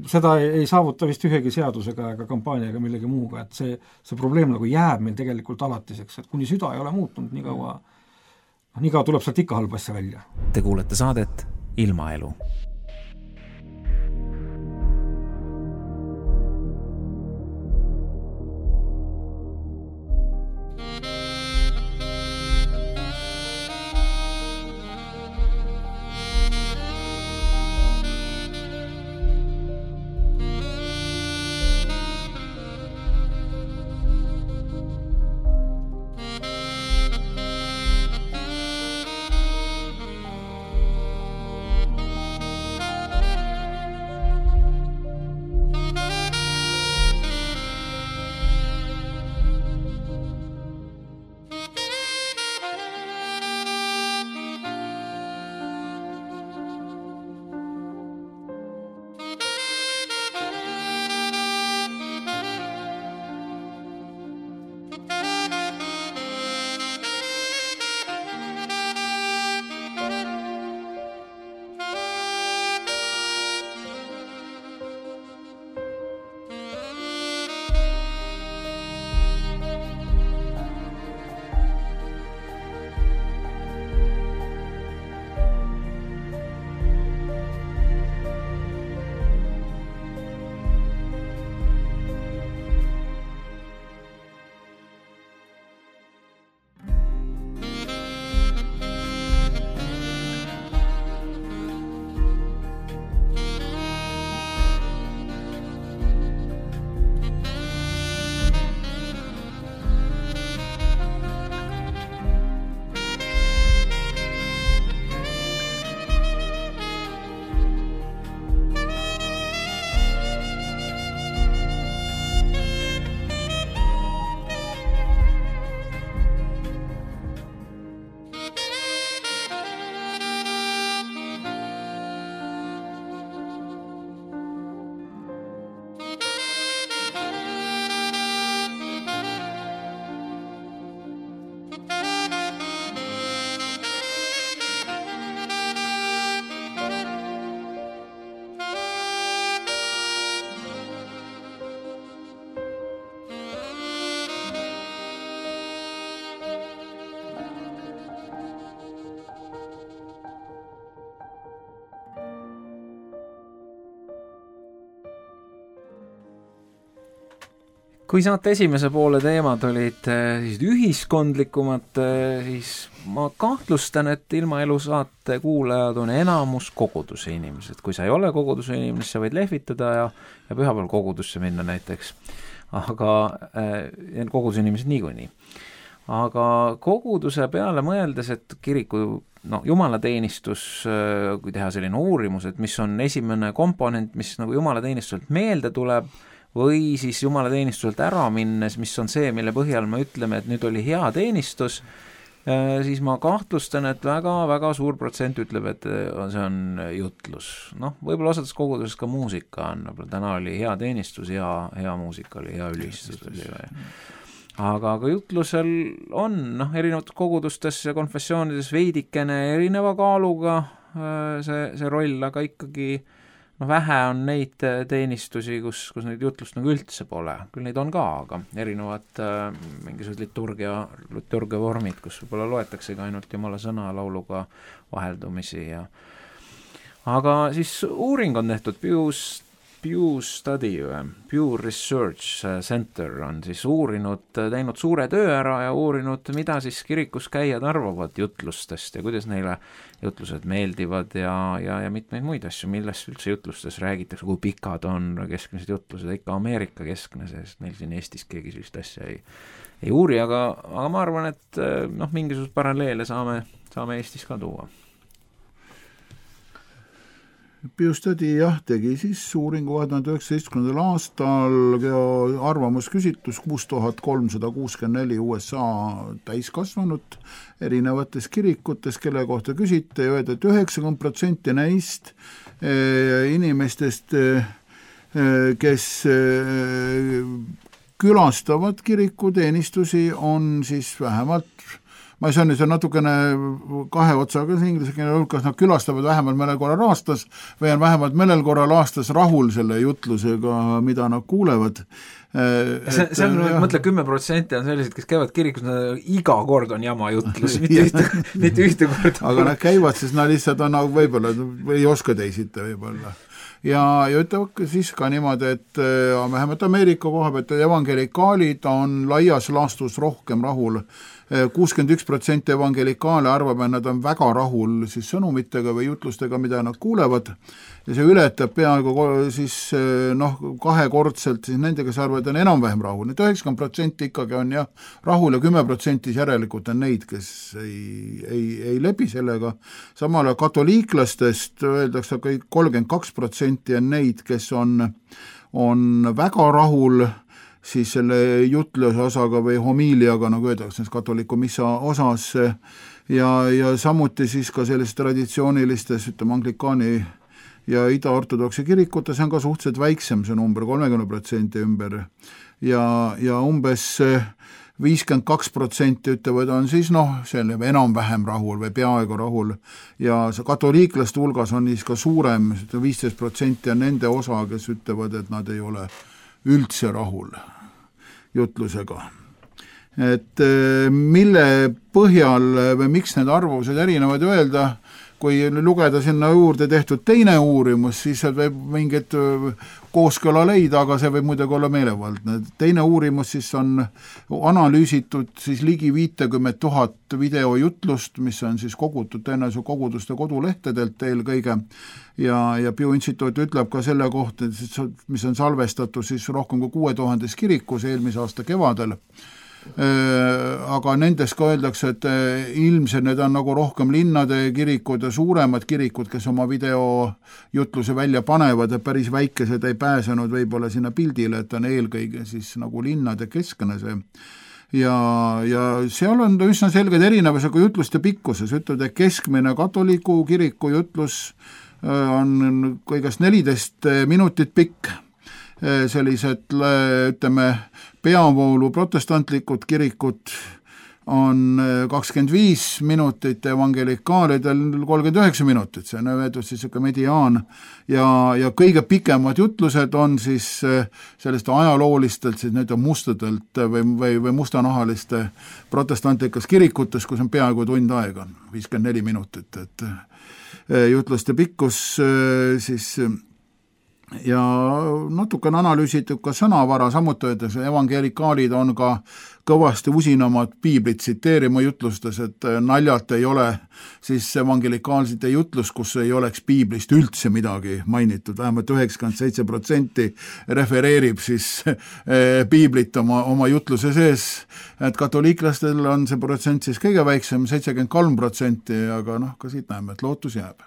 Seda ei saavuta vist ühegi seadusega ega kampaaniaga millegi muuga, et see probleem nagu jääb meil tegelikult alatiseks, et kuni süda ei ole muutunud, nii kaua tuleb sealt ikka halb asja välja. Te kuulete saadet Ilmaelu. Kui saate esimese poole teemad olid siis ühiskondlikumad, siis ma kahtlustan, et Ilmaelu saate kuulajad on enamus koguduse inimesed. Kui sa ei ole koguduse inimene, sa võid lehvitada ja pühapäeval kogudusse minna näiteks. Aga koguduse inimesed niikuinii. Aga koguduse peale mõeldes, et kiriku jumalateenistus, kui teha selline uurimus, et mis on esimene komponent, mis nagu jumalateenistuselt meelde tuleb, või siis jumalateenistuselt ära minnes, mis on see, mille põhjal me ütleme, et nüüd oli hea teenistus, siis ma kahtlustan, et väga-väga suur protsent ütleb, et see on jutlus. Võib-olla osades koguduses ka muusika on, täna oli hea teenistus, hea muusika oli, hea ülistus oli. Aga jutlusel on erinevates kogudustes ja konfessioonides veidikene erineva kaaluga see roll, aga ikkagi vähe on neid teenistusi, kus neid jutlust nagu üldse pole. Küll neid on ka, aga erinevad mingisugused liturgia vormid, kus võib-olla loetaksegi ainult Jumala sõna lauluga vaheldumisi. Aga siis uuring on tehtud, Pew Study, Pew Research Center on siis teinud suure töö ära ja uurinud, mida siis kirikus käijad arvavad jutlustest ja kuidas neile jutlused meeldivad ja mitmeid muid asju, millest üldse jutlustes räägitakse, kui pikad on keskmised jutlused, ikka Ameerika keskne, sest meil siin Eestis keegi sellist asja ei uuri, aga ma arvan, et mingisugust paralleele saame Eestis ka tuua. Pew Study tegi siis uuringu 2019. aastal arvamusküsitlus 6364 USA täiskasvanut erinevates kirikutes, kelle kohta küsiti ja öelda, et 90% neist inimestest, kes külastavad kirikuteenistusi, on siis vähemalt ma ei saa nüüd natukene kahe otsaga inglise keele, kas nad külastavad vähemalt mõnel korral aastas või on vähemalt mõnel korral aastas rahul selle jutlusega, mida nad kuulevad. See on, mõtle, 10% on sellised, kes käivad kirikus, iga kord on jama jutlus, mitte ühte korda. Aga nad käivad, siis nad lihtsalt on võib-olla, ei oska teisita võib-olla. Ja ütleb siis ka niimoodi, et vähemalt Ameerika koha pealt evangelikaalid on laias laastus rohkem rahul. 61% evangelikaale arvab, et nad on väga rahul siis sõnumitega või jutlustega, mida nad kuulevad ja see ületab peaaegu siis kahekordselt siis nendega, kes arvavad, on enam-vähem rahul. 90% ikkagi on rahul ja 10% järelikult on neid, kes ei lebi sellega. Samal katoliiklastest öeldakse, et 32% on neid, kes on väga rahul siis selle jutluse osaga või homiiliaga, nagu öeldakse, katoliku missa osas ja samuti siis ka selles traditsioonilistes, anglikaani ja ida-ortodoksi kirikutes on ka suhteliselt väiksem see number, 30% ümber ja umbes 52% ütlevad, on siis selle enam-vähem rahul või peaaegu rahul ja see katoliiklaste hulgas on siis ka suurem, 15% on nende osa, kes ütlevad, et nad ei ole üldse rahul jutlusega. Et mille põhjal või miks need arvused erinevad öelda, kui lugeda sinna juurde tehtud teine uurimus, siis võib mingit kooskõla leida, aga see võib muidugi olla meelevaldne. Teine uurimus siis on analüüsitud siis ligi 50 000 videojutlust, mis on siis kogutud tõenäoliselt koguduste kodulehtedelt eelkõige ja Pew Instituut ütleb ka selle kohta, mis on salvestatud siis rohkem kui 6000 kirikus eelmise aasta kevadel. Aga nendes ka öeldakse, et ilmselt need on nagu rohkem linnade kirikud ja suuremad kirikud, kes oma videojutluse välja panevad ja päris väikesed ei pääsenud võib-olla sinna pildile, et on eelkõige siis nagu linnade keskne see. Ja seal on üsna selged erinevusega jutluste pikkuses, ütleb, et keskmine katoliku kiriku jutlus on kõigest 14 minutit pikk. Sellised, ütleme, peavoolu protestantlikud kirikud on 25 minutit, evangelikaalidel 39 minutit, see on öeldud siis mediaan ja kõige pikemad jutlused on siis sellest ajaloolistelt, siis need on mustadelt või mustanahaliste protestantlikes kirikutes, kus on peaaegu tund aega, 54 minutit, et jutluste pikkus siis ja natukene analüüsitud ka sõnavara, samuti öeldes, evangelikaalid on ka kõvasti usinamad piiblit tsiteerima jutlustes, et naljalt ei ole siis evangelikaalsite jutlus, kus ei oleks piiblist üldse midagi mainitud, vähemalt 97% refereerib siis piiblit oma jutluse sees, et katoliiklastel on see protsent siis kõige väiksem, 73%, aga ka siit näeme, et lootus jääb.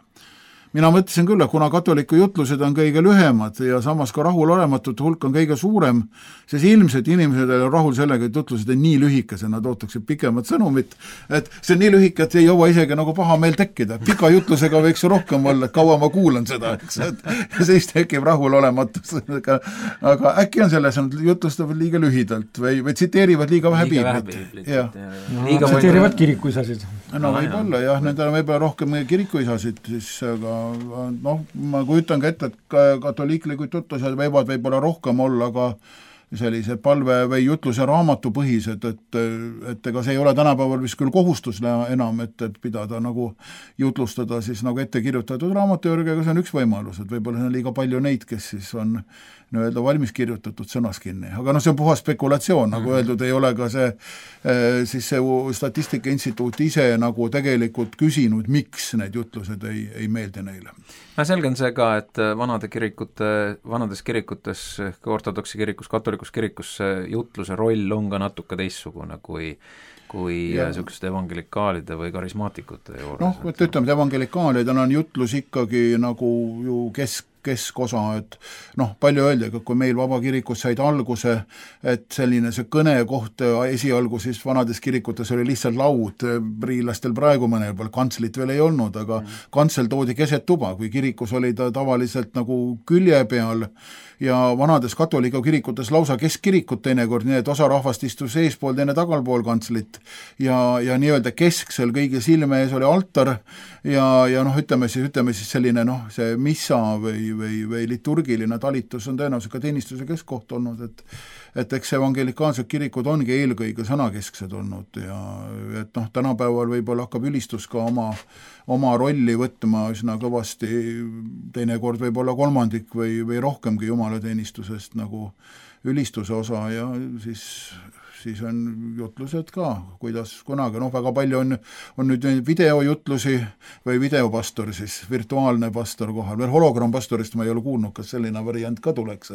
Mina mõtlesin küll, et kuna katoliku jutlused on kõige lühemad ja samas ka rahulolematute hulk on kõige suurem, siis ilmselt inimesed on rahul sellega, et jutlused on nii lühikese, nad ootaksid pikemat sõnumit, et see on nii lühike, et ei jõua isegi nagu paha meel tekkida. Pika jutlusega võiks rohkem olla, et kaua ma kuulan seda, eks, et siis tekib rahulolematus. Aga äkki on selles, et jutlustavad liiga lühidalt või tsiteerivad liiga vähe piiblit. Tsiteerivad kirikuisasid. No võib-olla jah, nendel on võib-olla rohkem kirikuisasid, siis aga ma kujutan ka ette, et katoliiklikud jutlused võivad võib-olla rohkem olla ka sellise palve või jutluse raamatu põhised, et ega see ei ole tänapäeval vist küll kohustus enam, et pidada nagu jutlustada siis nagu ette kirjutatud raamatu juurde, aga see on üks võimalus, et võib-olla on liiga palju neid, kes siis on nii-öelda valmis kirjutatud sõnas kinni. Aga see on puhas spekulatsioon, nagu öeldud, ei ole ka see Statistika Instituut ise nagu tegelikult küsinud, miks need jutlused ei meeldi neile. Selge on see ka, et vanades kirikutes, ortodoksi kirikus, katolikus kirikus jutluse roll on ka natuke teissugune kui niisugused evangelikaalide või karismaatikute juures. Et ütleme, et evangelikaalidel on jutlus ikkagi nagu ju keskosa, et palju öeldi, aga kui meil vabakirikus said alguse, et selline see kõnekoht esialgu siis vanades kirikutes oli lihtsalt laud, priilastel praegu mõnel pool kantslit veel ei olnud, aga kantsel toodi keset tuba, kui kirikus oli ta tavaliselt nagu külje peal ja vanades katoliku kirikutes lausa keskirikut teinekord, nii et osa rahvast istus eespool, teine tagalpool kantslit ja nii-öelda kesksel kõige silme ees oli altar ja ütleme siis selline see missa või liturgiline talitus on tõenäoliselt ka teenistuse keskkoht olnud, et eks evangelikaalsed kirikud ongi eelkõige sõnakesksed olnud ja et tänapäeval võib-olla hakkab ülistus ka oma rolli võtma üsna kõvasti, teinekord võib-olla kolmandik või rohkemgi jumalateenistusest nagu ülistuse osa ja siis on jutlused ka, kuidas kunagi, väga palju on nüüd videojutlusi või videopastor siis, virtuaalne pastor kohal, veel hologrampastorist ma ei ole kuulnud, kas selline variant ka tuleks,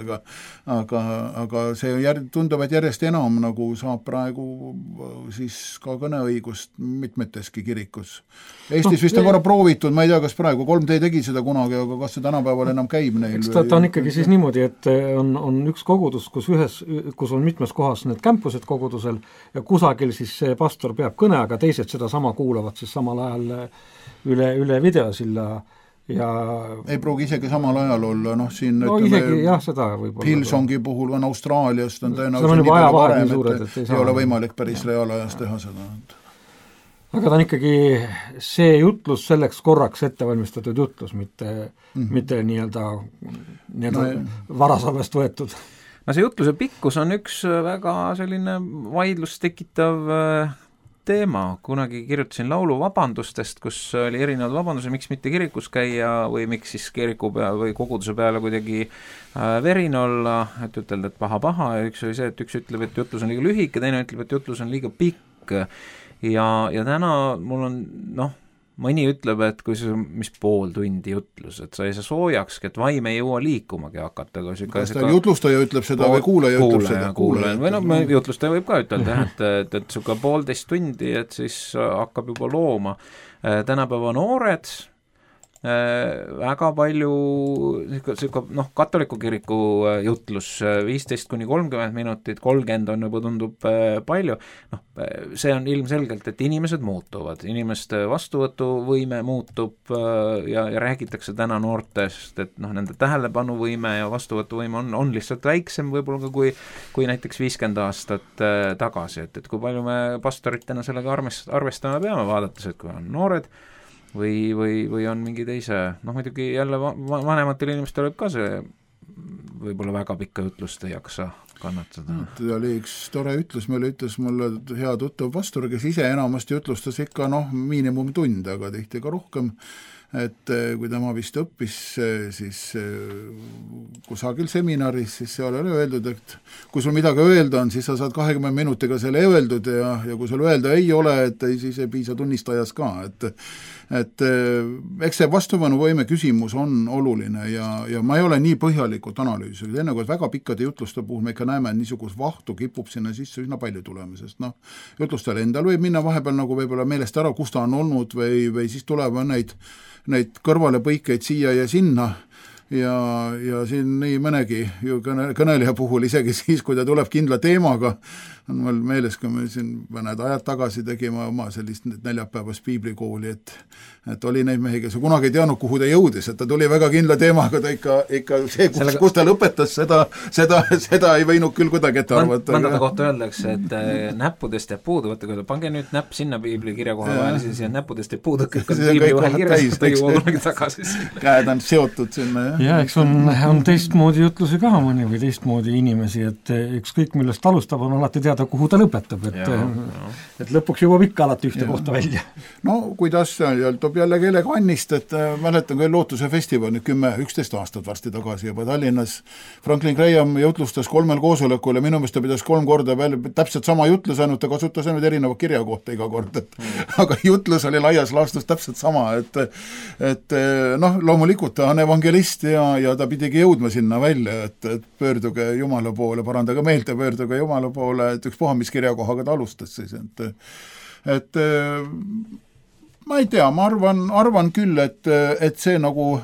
aga see tundub, et järjest enam nagu saab praegu siis ka kõneõigust mitmeteski kirikus. Eestis vist on korra proovitud, ma ei tea, kas praegu 3D tegi seda kunagi, aga kas see tänapäeval enam käib neil? Eks ta on ikkagi siis niimoodi, et on üks kogudus, kus on mitmes kohas need kämpused kogudusel ja kusagil siis see pastor peab kõne, aga teised seda sama kuulavad siis samal ajal üle videosilla ja ei pruugi isegi samal ajal olla, siin isegi jah, seda võib-olla Hillsongi puhul on Austraaliast on tõenäoliselt nii palju varem, et ei ole võimalik päris reaalajas teha seda. Aga ta on ikkagi see jutlus selleks korraks ettevalmistatud jutlus, mitte nii-öelda varasalvest võetud. See jutluse pikkus on üks väga selline vaidlust tekitav teema. Kunagi kirjutasin laulu vabandustest, kus oli erinevad vabandused, miks mitte kirikus käia või miks siis kiriku peal või koguduse peale kuidagi verin olla, et ütelda, et paha ja üks oli see, et üks ütleb, et jutlus on liiga lühike, teine ütleb, et jutlus on liiga pikk ja täna mul on mõni ütleb, et kui see mis pool tundi jutlus, et sa ei saa soojakski, et vaim ei jõua liikumagi hakata. Kas ta jutlustaja ütleb seda või kuulaja ütleb seda? Kuulaja. Või jutlustaja võib ka ütelda, et suka 1,5 tundi, et siis hakkab juba looma. Tänapäeva noored väga palju katoliku kiriku jutlus 15-30 minutit, 30 on juba tundub palju, see on ilmselgelt, et inimesed muutuvad, inimeste vastuvõtuvõime muutub ja räägitakse täna noortest, et nende tähelepanuvõime ja vastuvõtuvõime on lihtsalt väiksem võib-olla ka kui näiteks 50 aastat tagasi, et kui palju me pastoritena sellega arvestama peame, vaadates, et kui on noored või on mingi teise, muidugi jälle vanematel inimestel võib ka see võib-olla väga pikka jutlust ei jaksa kannatada. Ta oli üks tore ütlus, ütles mulle hea tuttav pastor, kes ise enamasti jutlustas ikka miinimumtund, aga tihti ka rohkem, et kui tema vist õppis siis kusagil seminaris, siis seal oli öeldud, et kui sul midagi öelda on, siis sa saad 20 minutiga selle öeldud ja kui sul öelda ei ole, et siis ei piisa tunnistajas ka, et eks see vastupanuvõime küsimus on oluline ja ma ei ole nii põhjalikult analüüsinud, enne kui väga pikkade jutluste puhul me ikka näeme, et niisugust vahtu kipub sinna sisse üsna palju tulema, sest jutlustel endal võib minna vahepeal nagu võib-olla meelest ära, kus ta on olnud või siis tuleb neid kõrvalepõikeid siia ja sinna ja siin nii mõnegi ju kõneleja puhul isegi siis, kui ta tuleb kindla teemaga, on mul meeles, kui me siin mõned ajad tagasi tegime oma sellist neljapäevast piiblikooli, et oli neid mehi, kes kunagi ei teadnud, kuhu ta jõudis, et ta tuli väga kindla teemaga, ta ikka see, kus ta lõpetas, seda ei võinud küll kuidagi ette arvata. Mõndade kohta öeldakse, et näppudest jääb puudu, võtta küll, pange nüüd näpp sinna piibli kirja koha vahel, siis näppudest jääb puudu, kõik on piibli vahel kirjas, ta jõuab kunagi tagasi sinna. Käed on seotud sinna, jah. Ja eks on teistmoodi jutlusi ka mõni või teistmoodi inimesi, et ükskõik millest alustab, on alati teada, kuhu ta lõpetab, et lõpuks jõuab ikka alati ühte kohta välja. No kuidas toob jällegi elegannist, et mäletan küll Lootuse festival nüüd 10-11 aastat varsti tagasi juba Tallinnas. Franklin Graham jutlustas 3 koosolekul ja minu meelest ta pidas 3 korda veel täpselt sama jutlus, ainult ta kasutas ainult erineva kirjakohta iga kord, aga jutlus oli laias laastus täpselt sama, et loomulikult ta on evangelist ja ta pidigi jõudma sinna välja, et pöörduge Jumala poole, parandage meelt ja pöörduge Jumala poole, et ükspuha, mis kirjakohaga ta alustas siis, et ma ei tea, ma arvan küll, et see nagu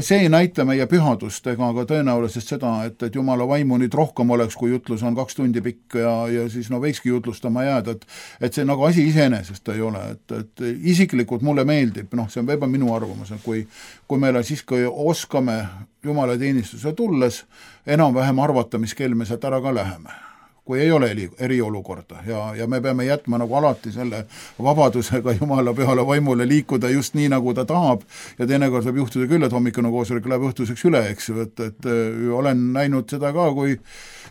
see ei näita meie pühadust ega ka tõenäoliselt seda, et Jumala vaimu nüüd rohkem oleks, kui jutlus on 2 tundi pikk ja siis võikski jutlustama jääda, et see nagu asi iseenesest ei ole, et isiklikult mulle meeldib, see on võib-olla minu arvamus, et kui meil on siis, kui oskame Jumala teenistuse tulles enam-vähem arvata, mis kell me sealt ära ka läheme, kui ei ole eriolukorda ja me peame jätma nagu alati selle vabadusega Jumala pühale vaimule liikuda just nii, nagu ta tahab ja teinekord võib juhtuda küll, et hommikune koosolek läheb õhtuseks üle, eks ju, et olen näinud seda ka,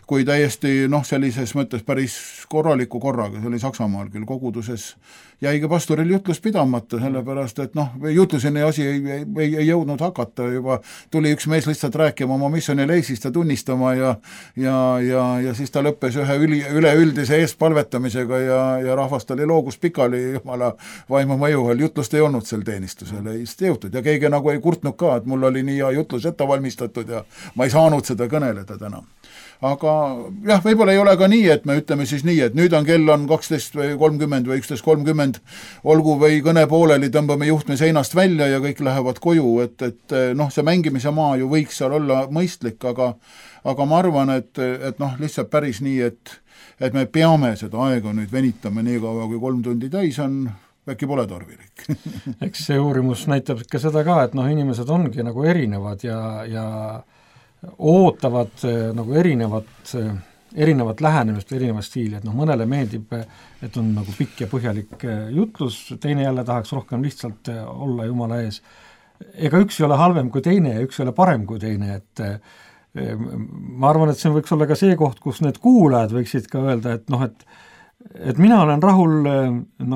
kui täiesti sellises mõttes päris korraliku korraga, see oli Saksamaal küll koguduses, jäigi pastoril jutlus pidamata, sellepärast, et jutluseni asi ei jõudnud hakata, juba tuli üks mees lihtsalt rääkima oma missioonileisist ja tunnistama ja siis ta lõppes ühe üleüldise eestpalvetamisega ja rahvast oli loogus pikali Jumala vaimu mõju all, jutlust ei olnud sel teenistusel, ei jõutud ja keegi nagu ei kurtnud ka, et mul oli nii hea jutlus ette valmistatud ja ma ei saanud seda kõneleda täna. Aga jah, võib-olla ei ole ka nii, et me ütleme siis nii, et nüüd on kell on 12:30 või 11:30, olgu või kõne pooleli, tõmbame juhtme seinast välja ja kõik lähevad koju, et see mängimise maa ju võiks seal olla mõistlik, aga ma arvan, et lihtsalt päris nii, et me peame seda aega nüüd venitama nii kaua, kui 3 tundi täis on, äkki pole tarvilik. Eks see uurimus näitab ikka seda ka, et inimesed ongi nagu erinevad ja ootavad nagu erinevat lähenemist, erinevat stiili, et mõnele meeldib, et on nagu pikk ja põhjalik jutlus, teine jälle tahaks rohkem lihtsalt olla Jumala ees. Ega üks ei ole halvem kui teine ja üks ei ole parem kui teine, et ma arvan, et see võiks olla ka see koht, kus need kuulajad võiksid ka öelda, et mina olen rahul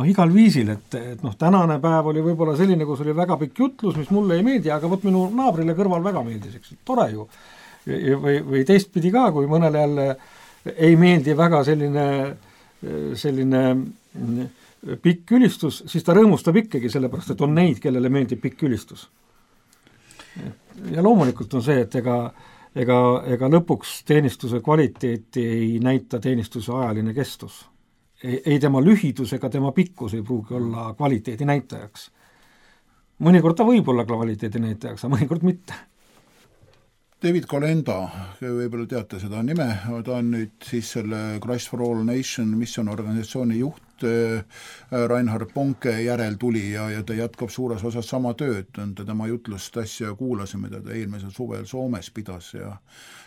igal viisil, et tänane päev oli võib-olla selline, kus oli väga pikk jutlus, mis mulle ei meeldi, aga minu naabrile kõrval väga meeldis, eks, tore ju. Või teistpidi ka, kui mõnele jälle ei meeldi väga selline pikk ülistus, siis ta rõõmustab ikkagi sellepärast, et on neid, kellele meeldib pikk ülistus. Ja loomulikult on see, et ega lõpuks teenistuse kvaliteeti ei näita teenistuse ajaline kestus. Ei tema lühidus ega tema pikkus ei pruugi olla kvaliteedi näitajaks. Mõnikord ta võib olla kvaliteedi näitajaks, aga mõnikord mitte. David Kolenda, võib-olla teate seda nime, ta on nüüd siis selle Christ for All Nation missionorganisatsiooni juht, Reinhard Bonke järel tuli ja ta jätkab suures osas sama tööd, tema jutlust asja kuulasime, ta eelmisel suvel Soomes pidas ja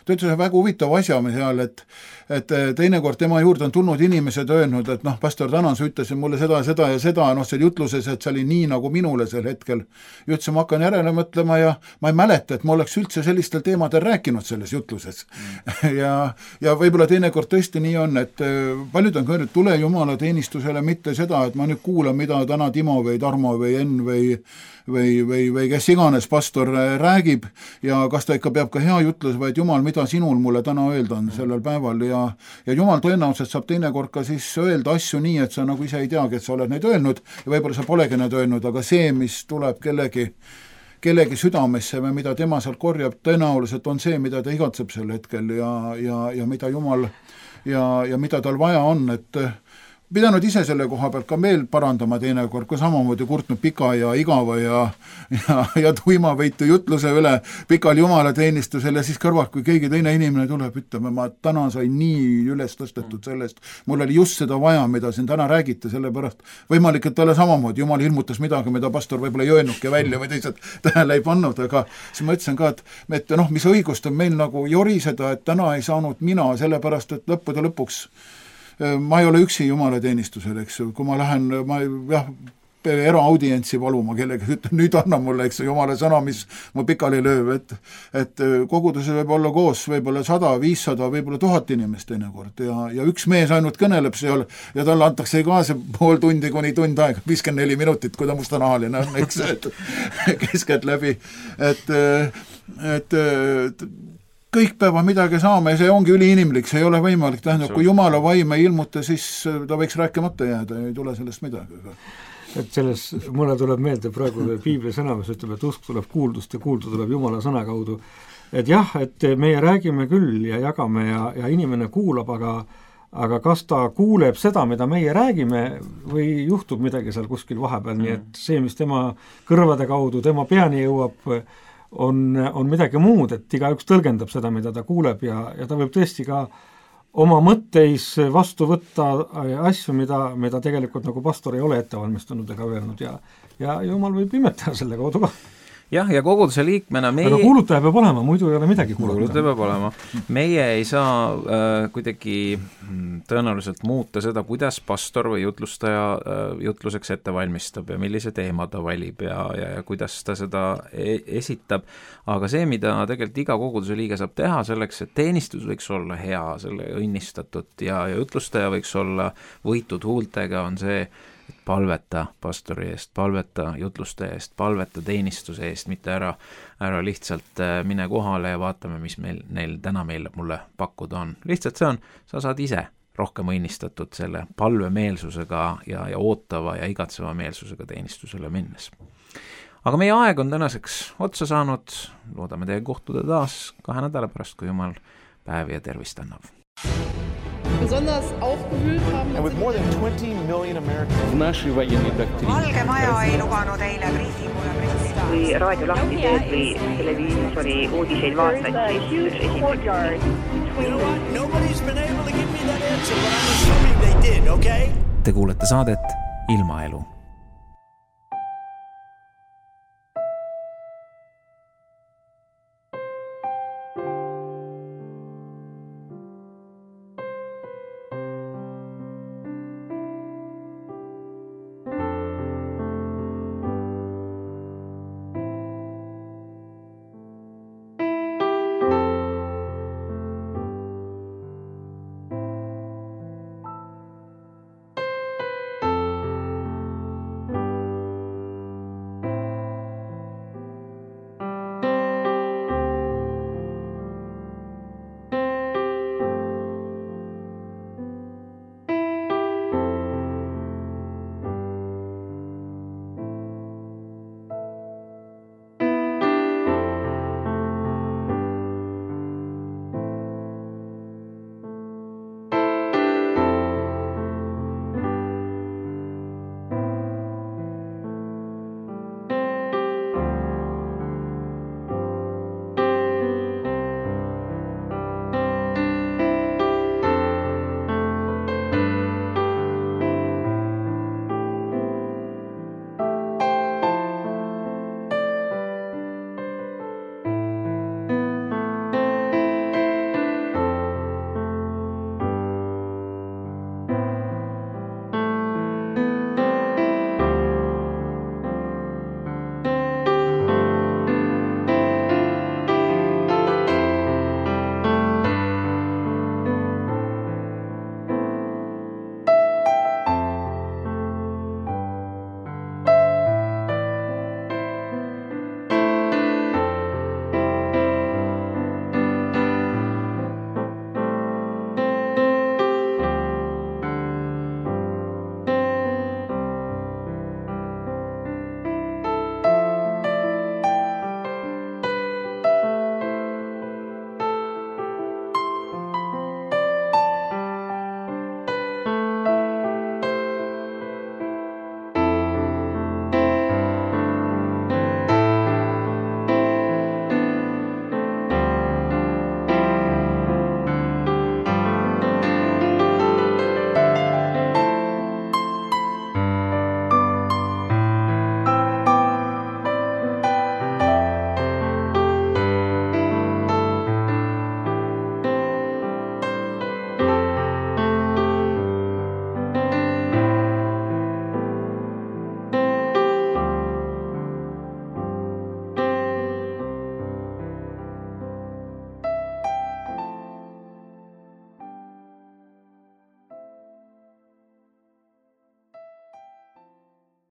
ta ütles väga huvitav asja seal, et teinekord tema juurde on tulnud inimesed öelnud, et pastor tänan, sa ütlesid mulle seda ja seda, seal jutluses, et see oli nii nagu minule sel hetkel. Ja ütlesin, ma hakkan järele mõtlema ja ma ei mäleta, et ma oleks üldse sellistel teemadel rääkinud selles jutluses. Ja võib-olla teinekord tõesti nii on, et paljud on öelnud, tule Jumala teenistus teenistusele mitte seda, et ma nüüd kuulan, mida täna Timo või Tarmo või Enn või kes iganes pastor räägib ja kas ta ikka peab ka hea jutlus, vaid Jumal, mida sinul mulle täna öelda on sellel päeval ja Jumal tõenäoliselt saab teinekord ka siis öelda asju nii, et sa nagu ise ei teagi, et sa oled neid öelnud ja võib-olla sa polegi neid öelnud, aga see, mis tuleb kellegi südamesse või mida tema sealt korjab, tõenäoliselt on see, mida ta igatseb sel hetkel ja mida Jumal ja mida tal vaja on, et pidanud ise selle koha pealt ka meil parandama teinekord, kui samamoodi kurtnud pika ja igava ja tuimavõitu jutluse üle pikal jumalateenistusel ja siis kõrvalt, kui keegi teine inimene tuleb, ütleme, ma täna sain nii üles tõstetud sellest, mul oli just seda vaja, mida siin täna räägite, sellepärast võimalik, et talle samamoodi, Jumal ilmutas midagi, mida pastor võib-olla ei öelnudki välja või teised tähele ei pannud, aga siis ma ütlesin ka, et mis õigust on meil nagu joriseda, et täna ei saanud mina, sellepärast, et lõppude lõpuks ma ei ole üksi jumalateenistusel, eks ju, kui ma lähen, eraaudientsi valuma kellegi, nüüd anna mulle, eks Jumala sõna, mis mu pikali lööb, et koguduse võib olla koos võib-olla 100, 500, võib-olla 1000 inimest teinekord ja üks mees ainult kõneleb seal ja talle antakse ka see pool tundi kuni tund aega, 54 minutit, kui ta mustanahaline on, eks, keskelt läbi, et kõik peavad midagi saama ja see ongi üliinimlik, see ei ole võimalik, tähendab, kui Jumala vaim ei ilmuta, siis ta võiks rääkimata jääda ja ei tule sellest midagi. Et selles, mulle tuleb meelde praegu Piibli sõna, mis ütleb, et usk tuleb kuuldust ja kuuldu tuleb Jumala sõna kaudu. Et jah, et meie räägime küll ja jagame ja inimene kuulab, aga kas ta kuuleb seda, mida meie räägime või juhtub midagi seal kuskil vahepeal, nii et see, mis tema kõrvade kaudu, tema peani jõuab, on midagi muud, et igaüks tõlgendab seda, mida ta kuuleb ja ta võib tõesti ka oma mõtteis vastu võtta asju, mida tegelikult nagu pastor ei ole ette valmistanud ega öelnud ja Jumal võib imetada selle kaudu ka. Jah, ja koguduse liikmena aga kuulutaja peab olema, muidu ei ole midagi kuulutaja. Kuulutaja peab olema. Meie ei saa kuidagi tõenäoliselt muuta seda, kuidas pastor või jutlustaja jutluseks ette valmistab ja millise teema ta valib ja kuidas ta seda esitab. Aga see, mida tegelikult iga koguduse liige saab teha selleks, et teenistus võiks olla hea, selle õnnistatud ja jutlustaja võiks olla võitud huultega, on see, palveta pastori eest, palveta jutlustaja eest, palveta teenistuse eest, mitte ära lihtsalt mine kohale ja vaatame, mis neil täna mulle pakkuda on. Lihtsalt see on, sa saad ise rohkem õnnistatud selle palvemeelsusega ja ootava ja igatseva meelsusega teenistusele minnes. Aga meie aeg on tänaseks otsa saanud, loodame teie kohtuda taas 2 nädala pärast, kui Jumal päevi ja tervist annab. Besonders aufgewühlt haben. And with more than 20 million Americans. Valge Maja ei lubanud eile briifingule pressida. Kui raadio lahti teed või televiisori uudiseid vaatad, siis üks esimene. Nobody's been able to give me that answer, but I'm assuming they did, okay? Te kuulete saadet Ilmaelu.